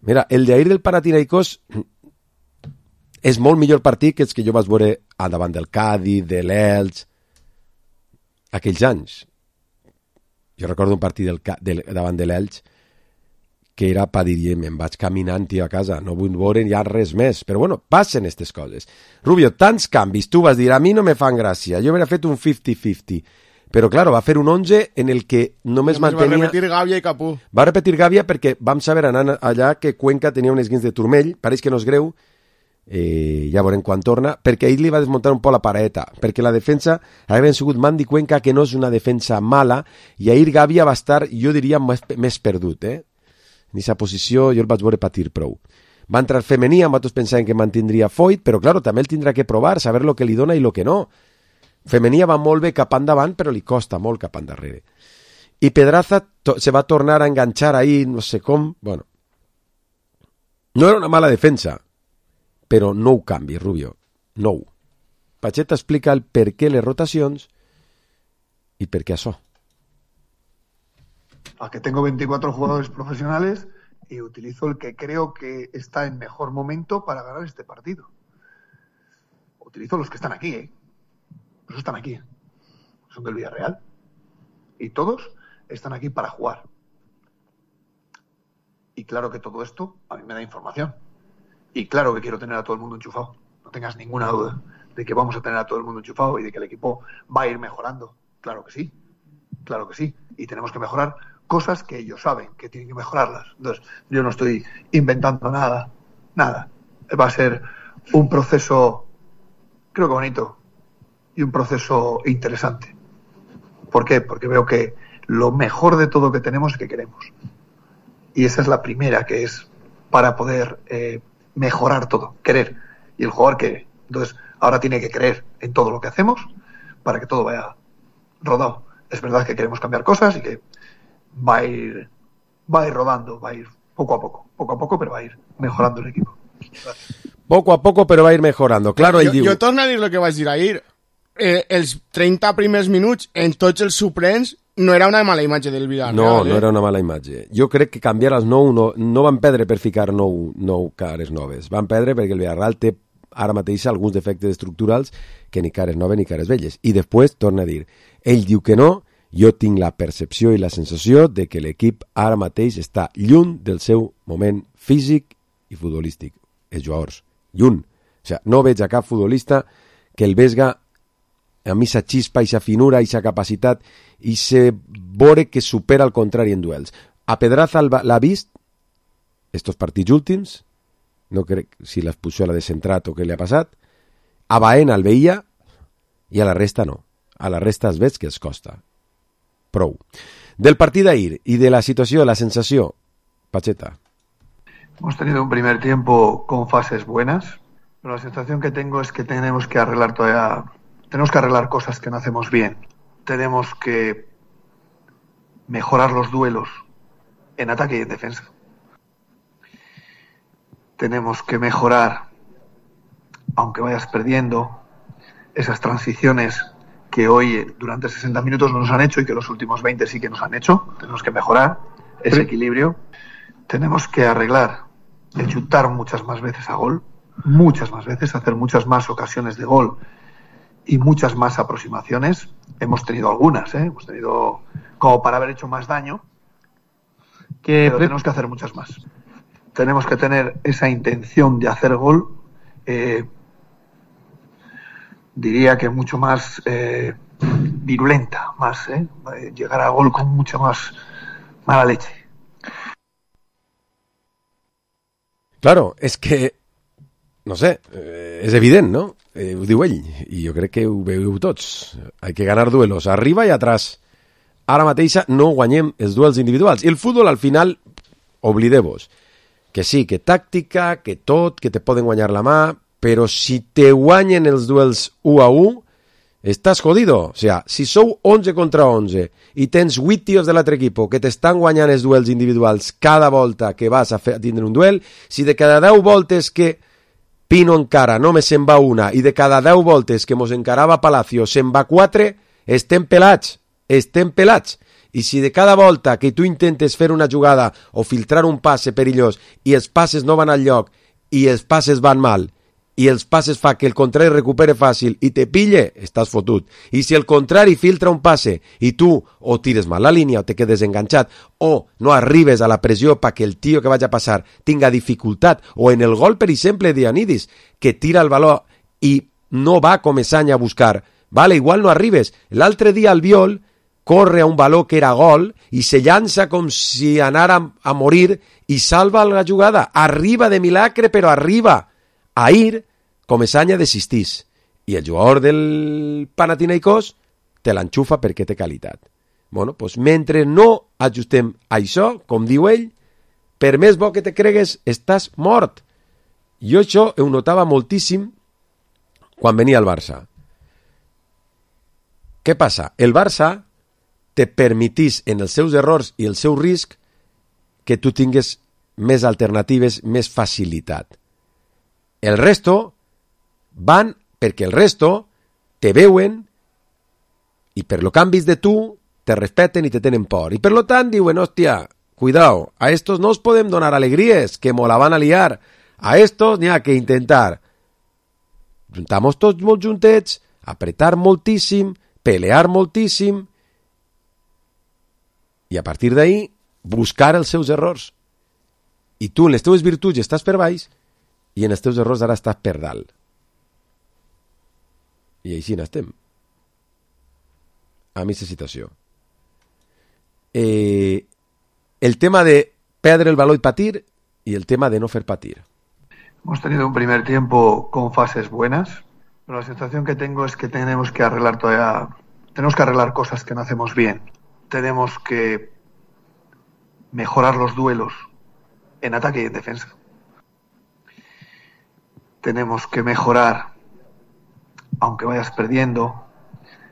Mira, el d'ahir del Panathinaikos és molt millor partit que els que jo vaig veure a davant del Cádiz, de l'Elx, aquells anys. Jo recordo un partit del, del, davant de l'Elx que era per dir, me'n vaig caminant, tio, a casa, no vull veure ja res més. Però bueno, passen aquestes coses. Rubio, tants canvis, tu vas dir, a mi no me fan gràcia, jo hauria fet un cinquanta cinquanta, però claro, va fer un onze en el que només, només mantenia... Va repetir Gàbia i Capú. Va repetir Gàbia perquè vam saber anant allà que Cuenca tenia un esguins de turmell, pareix que no és greu, eh, ja veurem quan torna, perquè ell li va desmuntar un poc la paraeta, perquè la defensa havia sigut Mandy Cuenca, que no és una defensa mala, i ahir Gàbia va estar, jo diria, més, més perdut, eh? En aquesta posició jo el vaig veure patir prou. Va entrar femení, amb altres pensaven que mantindria Foyt, però claro, també el tindrà que provar, saber lo que li dona i lo que no. Femenia va molt bé cap endavant, però li costa molt cap endarrere. I Pedraza se va tornar a enganxar ahí, no sé com, bueno. No era una mala defensa, però no ho canvi, Rubio, no ho. Pacheta explica el per què les rotacions i per què això. A que tengo veinticuatro jugadores profesionales y utilizo el que creo que está en mejor momento para ganar este partido. Utilizo los que están aquí, ¿eh? Los están aquí. Son del Villarreal. Y todos están aquí para jugar. Y claro que todo esto a mí me da información. Y claro que quiero tener a todo el mundo enchufado. No tengas ninguna duda de que vamos a tener a todo el mundo enchufado y de que el equipo va a ir mejorando. Claro que sí. Claro que sí. Y tenemos que mejorar cosas que ellos saben que tienen que mejorarlas. Entonces, yo no estoy inventando nada. Nada. Va a ser un proceso, creo que bonito, y un proceso interesante. ¿Por qué? Porque veo que lo mejor de todo que tenemos es que queremos. Y esa es la primera, que es para poder eh, mejorar todo, querer. Y el jugador quiere. Entonces, ahora tiene que creer en todo lo que hacemos para que todo vaya rodado. Es verdad que queremos cambiar cosas y que va a ir, va a ir rodando, va a ir poco a poco, poco a poco, pero va a ir mejorando el equipo. Gracias. Poco a poco, però va a ir mejorando. Claro, jo, diu... jo torno a dir el que vaig dir ahir. Eh, els trenta primers minuts en tots els suplents no era una mala imatge del Villarreal. No, eh? no era una mala imatge. Jo crec que canviar els nou no, no van perdre per ficar nou, nou cares noves. Van perdre perquè el Villarreal té ara mateix alguns defectes estructurals que ni cares noves ni cares velles. I després torna a dir, ell diu que no, jo tinc la percepció i la sensació de que l'equip ara mateix està lluny del seu moment físic i futbolístic. Els jugadors, lluny. O sigui, no veig a cap futbolista que el vesga amb aquesta xispa, aquesta finura, aquesta capacitat, i se veure que supera al contrari en duels. A Pedraza l'ha vist estos partits últims, no crec si l'expulsió l'ha descentrat o què li ha passat. A Baena el veia i a la resta no. A la resta es veig que els costa. Prou. Del partit d'ahir i de la situació, la sensació, Pacheta. Hemos tenido un primer tiempo con fases buenas, pero la sensación que tengo es que tenemos que arreglar todavía, tenemos que arreglar cosas que no hacemos bien. Tenemos que mejorar los duelos en ataque y en defensa. Tenemos que mejorar, aunque vayas perdiendo, esas transiciones que hoy durante sesenta minutos no nos han hecho y que los últimos veinte sí que nos han hecho. Tenemos que mejorar ese equilibrio. Tenemos que arreglar el chutar muchas más veces a gol, muchas más veces, hacer muchas más ocasiones de gol y muchas más aproximaciones. Hemos tenido algunas, ¿eh? Hemos tenido como para haber hecho más daño, que pero tenemos que hacer muchas más. Tenemos que tener esa intención de hacer gol, eh, diría que mucho más eh, virulenta, más, ¿eh? Llegar a gol con mucha más mala leche. Claro, és que, no sé, eh, és evident, no? Eh, ho diu ell, i jo crec que ho veieu tots. Hay que ganar duelos arriba i atrás. Ara mateixa no guanyem els duels individuals. I el futbol, al final, oblideu-vos. Que sí, que tàctica, que tot, que te poden guanyar la mà, però si te guanyen els duels u a u, estàs jodido. O sigui, si sou onze contra onze i tens vuit tios de l'altre equip que t'estan guanyant els duels individuals cada volta que vas a, fer, a tindre un duel, si de cada deu voltes que Pino encara només se'n va una i de cada deu voltes que mos encarava Palacio se'n va quatre, estem pelats, estem pelats. I si de cada volta que tu intentes fer una jugada o filtrar un passe perillós i els passes no van al lloc i els passes van mal i els passes fa que el contrari recupere fàcil i te pille, estàs fotut. I si el contrari filtra un passe i tu o tires mal la línia o te quedes enganxat o no arribes a la pressió perquè el tio que vaig a passar tinga dificultat, o en el gol, per exemple, d'Iannidis, que tira el valor i no va com Esanya a buscar, vale, igual no arribes. L'altre dia el Biol corre a un valor que era gol i se llança com si anara a morir i salva la jugada. Arriba de milagre, però arriba. Ahir, com Esanya desistís. I el jugador del Panathinaikos te l'enxufa perquè té qualitat. Bueno, doncs mentre no ajustem això, com diu ell, per més bo que te cregues, estàs mort. Jo això ho notava moltíssim quan venia al Barça. Què passa? El Barça te permetís en els seus errors i el seu risc que tu tingues més alternatives, més facilitat. El resto van perquè el resto te veuen i per lo que han vist de tu te respeten i te tenen por. I per lo tant diuen, hòstia, cuidao, a estos no os podem donar alegries, que mo la van a liar. A estos n'hi ha que intentar juntar-nos tots molt juntets, apretar moltíssim, pelear moltíssim i a partir d'ahí buscar els seus errors. I tu en les teves virtuts estàs per baix i en els teus errors ara estàs per dalt. I així n'estem. A mi aquesta situació. Eh, el tema de perdre el valor y patir y el tema de no hacer patir. Hemos tenido un primer tiempo con fases buenas, pero la sensación que tengo es que tenemos que arreglar todavía, tenemos que arreglar cosas que no hacemos bien. Tenemos que mejorar los duelos en ataque y en defensa. Tenemos que mejorar, aunque vayas perdiendo,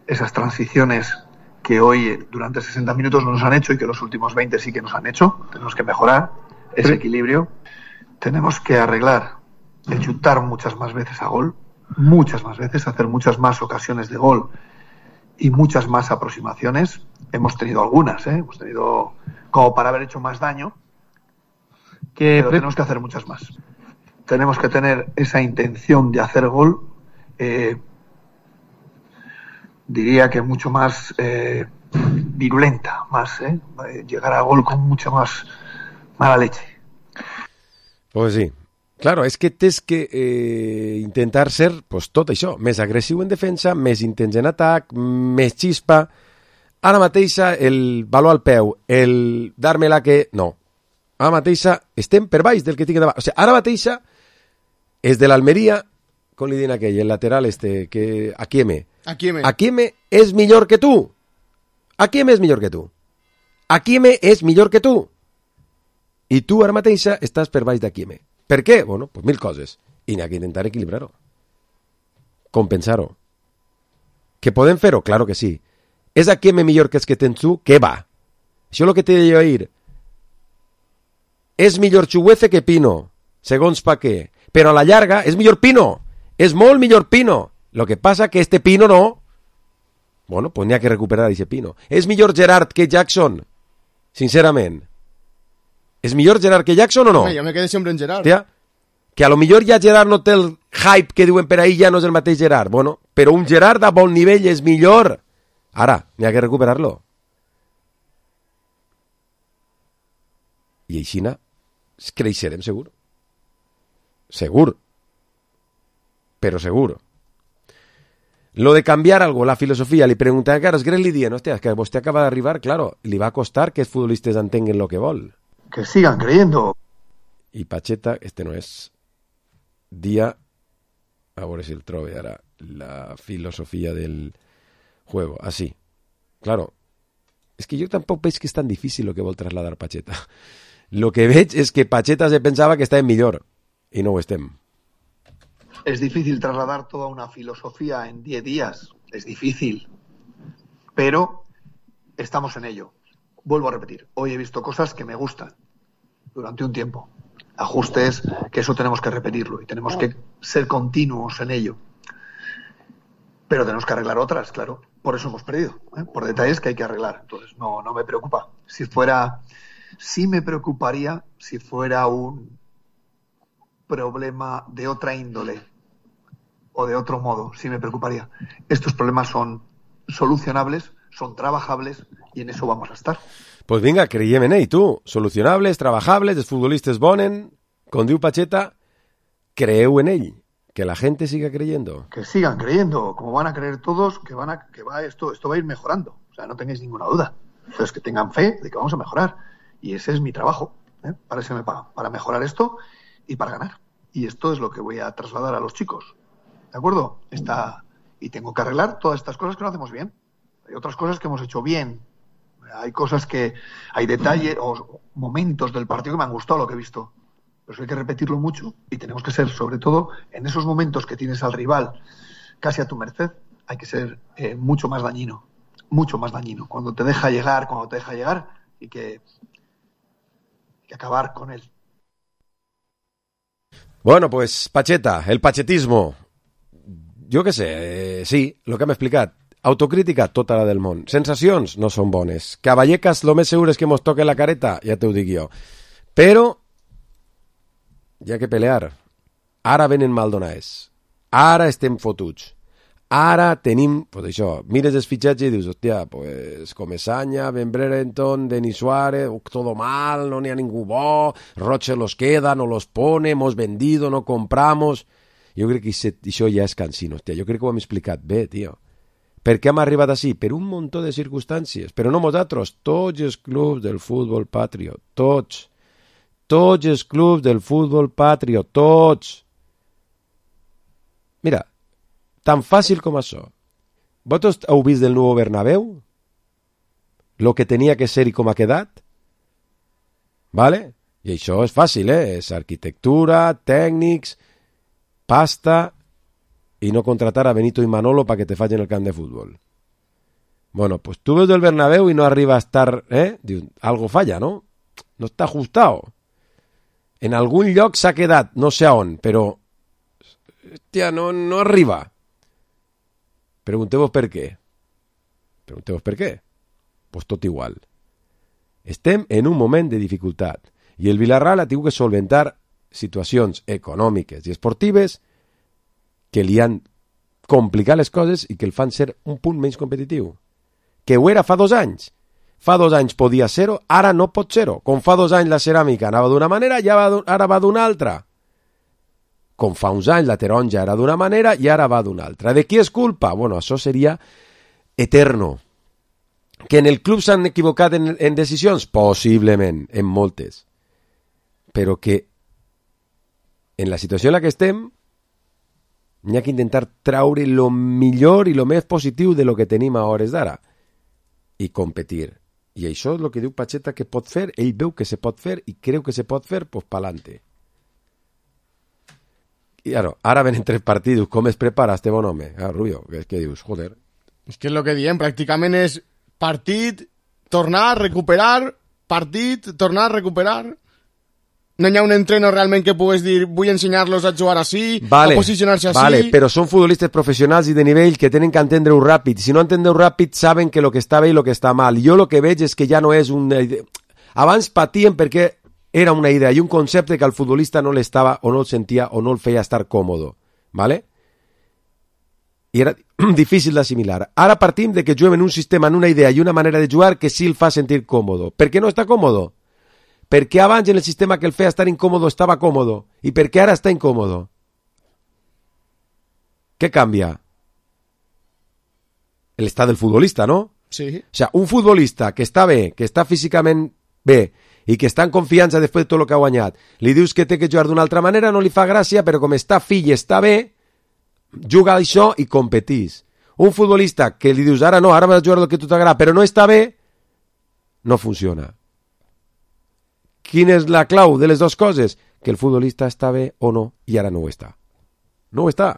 esas transiciones que hoy durante sesenta minutos no nos han hecho y que los últimos veinte sí que nos han hecho. Tenemos que mejorar ese equilibrio. Tenemos que arreglar el chutar muchas más veces a gol, muchas más veces, hacer muchas más ocasiones de gol y muchas más aproximaciones. Hemos tenido algunas, ¿eh? Hemos tenido como para haber hecho más daño, que pero tenemos que hacer muchas más. Tenemos que tener esa intención de hacer gol, eh, diría que mucho más eh, virulenta, más, ¿eh? Llegar a gol con mucha más mala leche. Pues sí. Claro, és que tens que eh, intentar ser pues, tot això, més agressiu en defensa, més intens en atac, més xispa. Ara mateixa el valor al peu, el dar-me-la que... No. Ara mateixa estem per baix del que tinc davant. O sigui, ara mateixa és de l'Almeria, com li diuen aquell, el lateral este, que... Akieme. Akieme. Akieme és millor que tu. Akieme és millor que tu. Akieme és millor que tu. I tu ara mateixa estàs per baix d'Akieme. Per què? Bueno, pues mil coses. I n'hi ha que intentar equilibrar-ho. Compensar-ho. Que podem fer-ho? Claro que sí. És Akieme millor que els que tens tu? Què va? Això és el que t'he de jo dir. És millor Chuguece que Pino, segons pa què. Però a la llarga és millor Pino. És molt millor Pino. Lo que passa que este Pino no. Bueno, pues n'hi ha que recuperar aquest Pino. És millor Gerard que Jackson? Sincerament. És millor Gerard que Jackson o no? Home, jo me quedé sempre en Gerard. Hòstia, que a lo millor ja Gerard no té el hype que diuen per ahí, ja no és el mateix Gerard. Bueno, però un Gerard a bon nivell és millor. Ara, n'hi ha que recuperar-lo. I així creixerem segur. Segur. Però segur. Lo de canviar algo, la filosofia, li pregunta a Carlos Gres, li dient, hòstia, que vostè acaba d'arribar, claro, li va costar que els futbolistes entenguen lo que vol. Que sigan creyendo. Y Pacheta, este no es día, a ver si el trove ahora, la filosofía del juego, así. Claro, es que yo tampoco veig que es tan difícil lo que vol trasladar Pacheta. Lo que veig es que Pacheta se pensaba que está en millor, y no ho estem. Es difícil trasladar toda una filosofía en diez días, es difícil, pero estamos en ello. Vuelvo a repetir, hoy he visto cosas que me gustan durante un tiempo. Ajustes, que eso tenemos que repetirlo y tenemos que ser continuos en ello. Pero tenemos que arreglar otras, claro. Por eso hemos perdido, ¿eh? Por detalles que hay que arreglar. Entonces, no, no me preocupa. Si fuera, sí me preocuparía si fuera un problema de otra índole, o de otro modo, sí me preocuparía. Estos problemas son solucionables, son trabajables y en eso vamos a estar. Pues vinga, creiem en ell, tu. Solucionables, trabajables, els futbolistes bonen, com diu Pacheta, creu en ell. Que la gente siga creyendo. Que sigan creyendo, como van a creer todos, que van a, que va esto, esto va a ir mejorando. O sea, no tengáis ninguna duda. Entonces, que tengan fe de que vamos a mejorar. Y ese es mi trabajo, ¿eh? Para eso me pagan, para mejorar esto y para ganar. Y esto es lo que voy a trasladar a los chicos. ¿De acuerdo? Está, y tengo que arreglar todas estas cosas que no hacemos bien. Hay otras cosas que hemos hecho bien. Hay cosas que, hay detalles o momentos del partido que me han gustado lo que he visto. Pero eso hay que repetirlo mucho y tenemos que ser, sobre todo, en esos momentos que tienes al rival casi a tu merced, hay que ser eh, mucho más dañino, mucho más dañino. Cuando te deja llegar, cuando te deja llegar y que, que acabar con él. Bueno, pues Pacheta, el pachetismo. Jo què sé, eh, sí, el que hem explicat. Autocrítica, tota la del món. Sensacions no són bones. Que a Vallecas lo més segur és que mos toque la careta, ja t'ho dic jo. Però hi ha que pelear. Ara venen Maldonades. Ara estem fotuts. Ara tenim, pues això, mires els fitxatges i dius, hòstia, pues Comesaña, Ben Brereton, Denis Suárez, todo mal, no n'hi ha ningú bo, Roche los queda, no los pone, hemos vendido, no compramos. Jo crec que això ja és cansino, hòstia, jo crec que ho hem explicat bé, tio. Per què hem arribat així? Per un muntó de circumstàncies, però no nosaltres, tots els clubs del futbol patriot, tots. Tots els clubs del futbol patriot, tots. Mira, tan fàcil com això. Vosaltres heu vist del nou Bernabéu? Lo que tenia que ser i com ha quedat? Vale? I això és fàcil, eh? És arquitectura, tècnics, pasta i no contratar a Benito i Manolo para que te facin el camp de futbol. Bueno, pues tú ves del Bernabéu y no arriba a estar, eh? Dius, algo falla, ¿no? No està ajustado. En algun lloc s'ha quedat, no sé on, però hòstia, no, no arriba. Pregunteu-vos per què. Pregunteu-vos per què. Pues tot igual. Estem en un moment de dificultat i el Villarreal ha tingut que solventar situacions econòmiques i esportives que li han complicat les coses i que el fan ser un punt menys competitiu. Que ho era fa dos anys. Fa dos anys podia ser-ho, ara no pot ser-ho. Com fa dos anys la ceràmica anava d'una manera i ara va d'una altra. Com fa uns anys la taronja era d'una manera i ara va d'una altra. De qui és culpa? Bueno, això seria eterno. Que en el club s'han equivocat en, en decisions? Possiblement, en moltes. Però que en la situació en la que estem n'hi ha que intentar traure lo millor i lo més positiu de lo que tenim a hores d'ara i competir. I això és el que diu Pacheta que pot fer, ell veu que se pot fer i creu que se pot fer, pues pa'lante. I claro, ara venen tres partits, com es prepara este bon home? Ah, Rubio, que és que dius, joder. És que és el que diem, pràcticament és partit, tornar, recuperar, partit, tornar, recuperar. No hi ha un entreno realment que pugues dir vull ensenyar-los a jugar així, vale, a posicionar-se així. Vale, però són futbolistes professionals i de nivell que tenen que entendre-ho ràpid. Si no entendeu ràpid, saben que lo que està bé i lo que està mal. Jo lo que veig és que ja no és un... Abans patien perquè era una idea i un concepte que al futbolista no l'estava o no el sentia o no el feia estar còmodo. ¿Vale? I era difícil d'assimilar. Ara partim de que juguem en un sistema, en una idea i una manera de jugar que sí el fa sentir còmodo. Per què no està còmodo? Perquè abans en el sistema que el feia estar incòmodo estava còmodo i perquè ara està incòmodo. Què canvia? L'estat del futbolista, no? Sí. O sea, un futbolista que està bé, que està físicament bé i que està en confiança després de tot el que ha guanyat, li dius que té que jugar d'una altra manera, no li fa gràcia, però com està fill i està bé, juga això i competís. Un futbolista que li dius ara no, ara vas a jugar el que tu t'agrada, però no està bé, no funciona. Quina és la clau de les dues coses? Que el futbolista està bé o no, i ara no ho està. No ho està.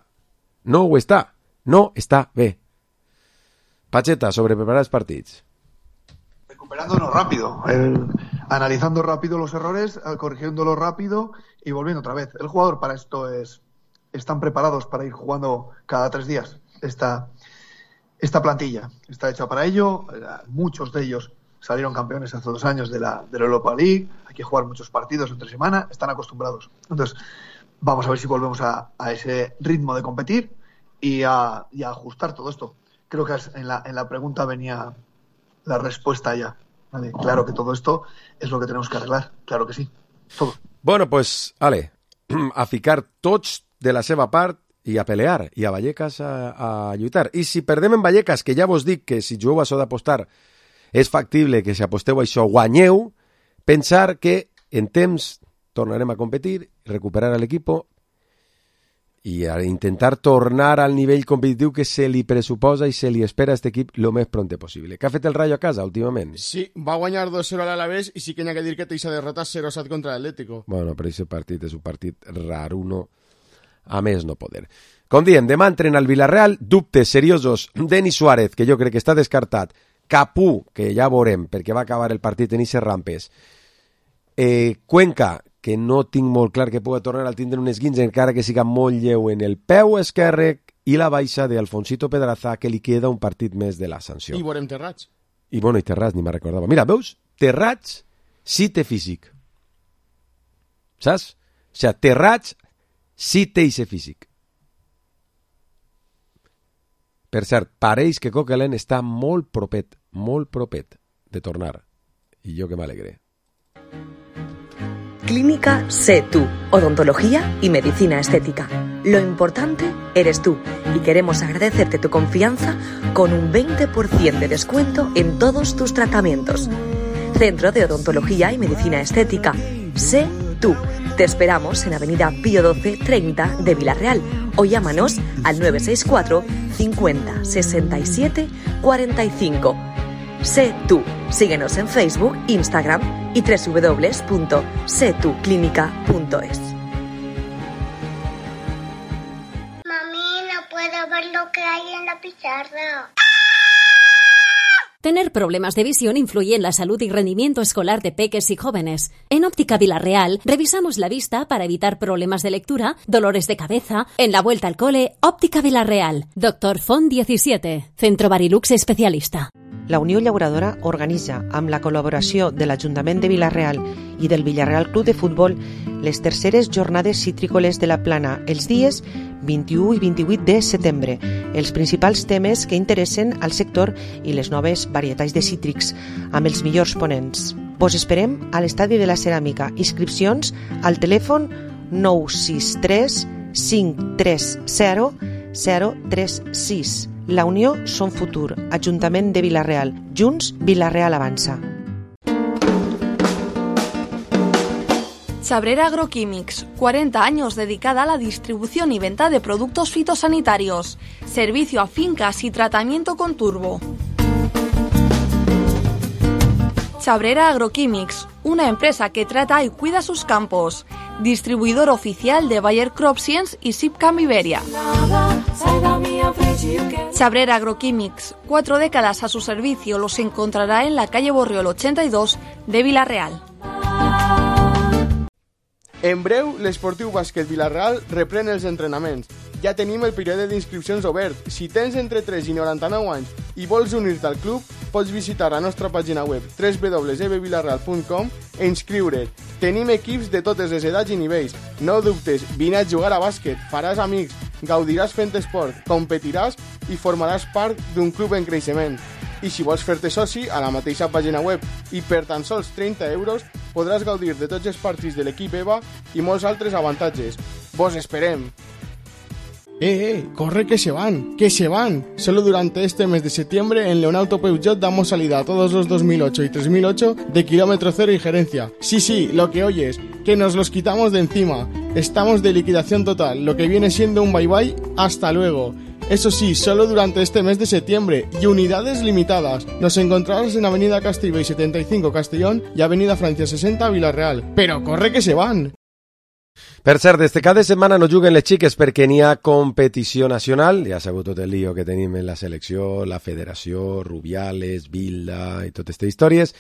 No ho està. No està bé. Pacheta, sobre preparar els partits. Recuperándonos rápido, el, analizando rápido los errores, corrigiéndolos rápido y volviendo otra vez. El jugador para esto es... Están preparados para ir jugando cada tres días. Esta, esta plantilla está hecha para ello. Muchos de ellos salieron campeones hace dos años de la, de la Europa League, hay que jugar muchos partidos entre semana, están acostumbrados. Entonces, vamos a ver si volvemos a, a ese ritmo de competir y a, y a ajustar todo esto. Creo que en la, en la pregunta venía la respuesta ya. ¿Vale? Claro que todo esto es lo que tenemos que arreglar, claro que sí, todo. Bueno, pues, ale, a ficar tots de la seva part i a pelear, i a Vallecas a, a lluitar. I si perdem en Vallecas, que ja vos dic que si jugueu a això d'apostar és factible que si aposteu a això guanyeu, pensar que en temps tornarem a competir, recuperar l'equip i a intentar tornar al nivell competitiu que se li pressuposa i se li espera a aquest equip lo més pronte possible. Què ha fet el Rayo a casa últimament? Sí, va guanyar dos cero a l'Alavés i sí que n'hi ha que dir que té aquesta derrota cero set contra l'Atlético. Bueno, però aquest partit és un partit raruno, a més no poder. Com diem, demà entrena el Villarreal, dubtes seriosos, Denis Suárez, que jo crec que està descartat, Capú, que ja veurem, perquè va acabar el partit en eixes rampes, eh, Cuenca, que no tinc molt clar que pugui tornar al tindre un esguince, encara que siga molt lleu en el peu esquerre, i la baixa d'Alfonsito Pedraza, que li queda un partit més de la sanció. I veurem Terrats. I bueno, i Terrats, ni me'n recordava. Mira, veus? Terrats sí té físic. Saps? O sigui, Terrats sí té ixe físic. Per cert, pareix que Coquelin està molt propet, molt propet de tornar. I jo que m'alegré. Clínica Sé Tú, odontología y medicina estética. Lo importante eres tú y queremos agradecerte tu confianza con un veinte por ciento de descuento en todos tus tratamientos. Centro de Odontología y Medicina Estética, Sé Tú. Te esperamos en Avenida Pío doce treinta de Villarreal o llámanos al nueve seis cuatro cincuenta sesenta y siete cuarenta y cinco. Sé Tú. Síguenos en Facebook, Instagram y doble u doble u doble u punto sé tú clínica punto es. Mami, no puedo ver lo que hay en la pizarra. Tener problemas de visión influye en la salud y rendimiento escolar de peques y jóvenes. En Óptica Villarreal revisamos la vista para evitar problemas de lectura, dolores de cabeza. En la vuelta al cole, Óptica Villarreal. Doctor Font diecisiete. Centro Barilux especialista. La Unió Llauradora organitza, amb la col·laboració de l'Ajuntament de Vila-real i del Villarreal Club de Futbol, les terceres jornades citrícoles de la Plana, els dies vint-i-u i vint-i-vuit de setembre. Els principals temes que interessen al sector i les noves varietats de cítrics, amb els millors ponents. Vos esperem a l'Estadi de la Ceràmica. Inscripcions al telèfon nou sis tres cinc tres zero zero tres sis. La Unió som futur. Ajuntament de Vila-real. Junts, Vila-real avança. Chabrera Agroquímics, cuarenta años dedicada a la distribución y venta de productos fitosanitarios, servicio a fincas y tratamiento con turbo. Chabrera Agroquímics, una empresa que trata y cuida sus campos, distribuidor oficial de Bayer CropScience y Sipcam Iberia. Chabrera Agroquímics, cuatro décadas a su servicio, los encontrará en la calle Borriol ochenta y dos de Vila-real. En breu, l'Esportiu Bàsquet Vila-real reprèn els entrenaments. Ja tenim el període d'inscripcions obert. Si tens entre tres i noranta-nou anys i vols unir-te al club, pots visitar la nostra pàgina web w w w punt e b vilarreal punt com e inscriure't. Tenim equips de totes les edats i nivells. No dubtes, vine a jugar a bàsquet, faràs amics, gaudiràs fent esport, competiràs i formaràs part d'un club en creixement. I si vols fer-te soci, a la mateixa pàgina web i per tan sols trenta euros podràs gaudir de tots els partits de l'equip EVA i molts altres avantatges. Vos esperem! Eh, eh, corre que se van, que se van. Solo durante este mes de septiembre en Leonauto Peugeot damos salida a todos los dos mil ocho y tres mil ocho de kilómetro cero y gerencia. Sí, sí, lo que oyes, que nos los quitamos de encima. Estamos de liquidación total, lo que viene siendo un bye bye, hasta luego. Eso sí, solo durante este mes de septiembre y unidades limitadas. Nos encontrarás en Avenida Castellbell setenta y cinco Castellón y Avenida Francia sesenta Vila-real. Pero corre que se van! Per cert, des de cada setmana no juguen les xiques perquè n'hi ha competició nacional. Ja sabeu tot el lío que tenim en la selecció, la federació, Rubiales, Bilda i totes aquestes històries.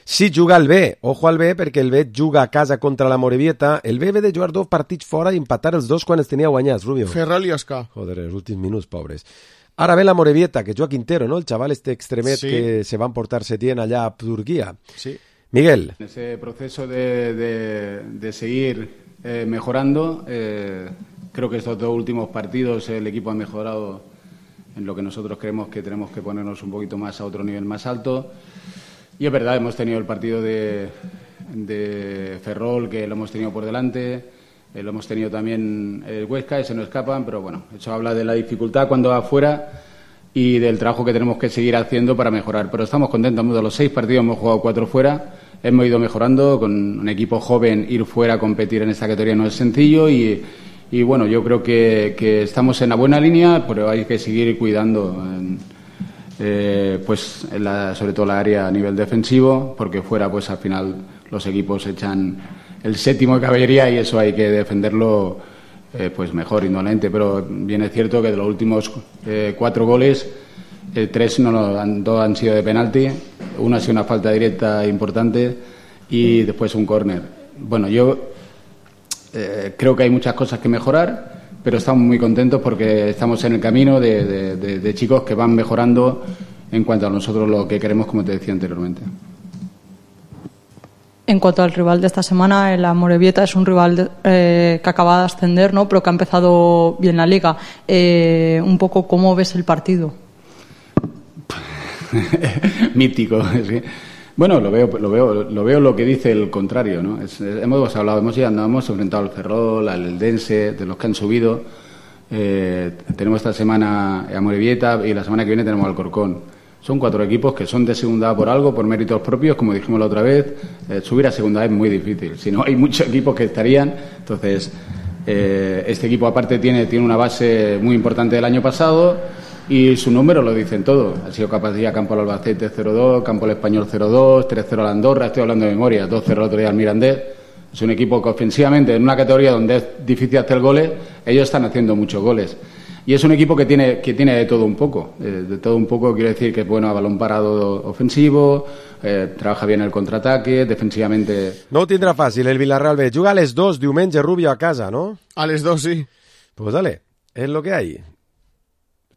Sí juga el B, ojo al B, perquè el B juga a casa contra la Morevieta. El B ve de jugar dos partits fora i empatar els dos quan els tenia guanyats, Rubio. Ferrol i Oscar. Joder, els últims minuts, pobres. Ara ve la Morevieta, que juga Quintero, ¿no? El chaval este extremet sí. Que se va a emportar Setién allá a Turquía. Sí. Miguel. En ese proceso de, de, de seguir eh, mejorando, eh, creo que estos dos últimos partidos el equipo ha mejorado en lo que nosotros creemos que tenemos que ponernos un poquito más a otro nivel más alto. Y es verdad, hemos tenido el partido de, de Ferrol, que lo hemos tenido por delante, eh, lo hemos tenido también el Huesca, ese no escapan, pero bueno, eso habla de la dificultad cuando va afuera y del trabajo que tenemos que seguir haciendo para mejorar. Pero estamos contentos, de los seis partidos hemos jugado cuatro fuera, hemos ido mejorando, con un equipo joven ir fuera a competir en esta categoría no es sencillo y, y bueno, yo creo que, que estamos en la buena línea, pero hay que seguir cuidando en, eh, pues en la, sobre todo la área a nivel defensivo, porque fuera pues al final los equipos echan el séptimo de caballería y eso hay que defenderlo eh, pues mejor indolente. Pero bien es cierto que de los últimos eh, cuatro goles, eh, tres no lo han, dos han sido de penalti, uno ha sido una falta directa importante y después un córner. Bueno, yo eh, creo que hay muchas cosas que mejorar, pero estamos muy contentos porque estamos en el camino de, de, de, de chicos que van mejorando en cuanto a nosotros lo que queremos, como te decía anteriormente. En cuanto al rival de esta semana, el Amorebieta es un rival de, eh, que acaba de ascender, ¿no? Pero que ha empezado bien la liga. Eh, un poco, ¿cómo ves el partido? Mítico, sí. Bueno, lo veo, lo veo, lo veo lo que dice el contrario, ¿no? Es, hemos hablado, hemos llegado, hemos enfrentado al Ferrol, al Eldense, de los que han subido. Eh, tenemos esta semana a Amorebieta y la semana que viene tenemos al Alcorcón. Son cuatro equipos que son de segunda por algo, por méritos propios, como dijimos la otra vez. Eh, subir a segunda es muy difícil. Si no, hay muchos equipos que estarían. Entonces, eh, este equipo aparte tiene, tiene una base muy importante del año pasado. Y su número lo dicen todo. Ha sido capaz de ir a Campo al Albacete cero dos, Campo al Español cero dos, tres cero al Andorra, estoy hablando de memoria, dos cero el otro día al Mirandés. Es un equipo que ofensivamente, en una categoría donde es difícil hacer goles, ellos están haciendo muchos goles. Y es un equipo que tiene que tiene de todo un poco. Eh, de todo un poco quiero decir que es bueno a balón parado ofensivo, eh, trabaja bien el contraataque, defensivamente... No ho tindrà fàcil el Villarreal B. Juga a les dos diumenge Rubio a casa, no? A les dos, sí. Pues dale, es lo que hay.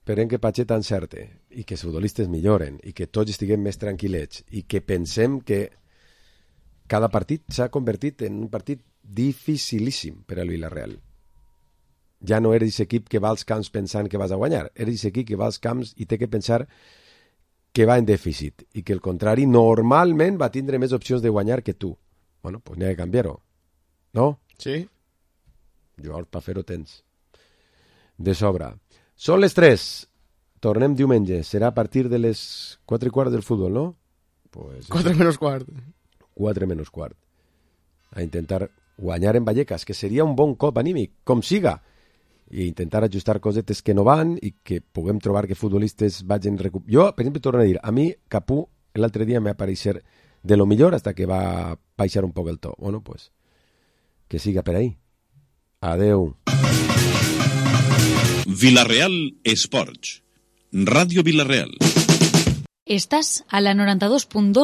Esperem que Pacheta encerte i que els futbolistes milloren i que tots estiguem més tranquil·lets i que pensem que cada partit s'ha convertit en un partit dificilíssim per al Villarreal. Ja no eres equip que va als camps pensant que vas a guanyar, eres equip que va als camps i té que pensar que va en dèficit i que el contrari normalment va tindre més opcions de guanyar que tu. Bueno, pues n'hi ha que canviar-ho, no? Sí. Llavors, per fer-ho tens. De sobre. Són les tres. Tornem diumenge. Serà a partir de les quatre i quart del futbol, no? Pues quatre menys quart. quatre menys quart. A intentar guanyar en Vallecas, que seria un bon cop anímic, com siga. I intentar ajustar cosetes que no van i que puguem trobar que futbolistes vagin recuperar. Jo, per exemple, torno a dir, a mi Capú l'altre dia me va aparèixer de lo millor hasta que va baixar un poc el to. Bueno, pues, que siga per ahí. Adeu. Villarreal Esports. Radio Villarreal. Estás a la noranta dos punt dos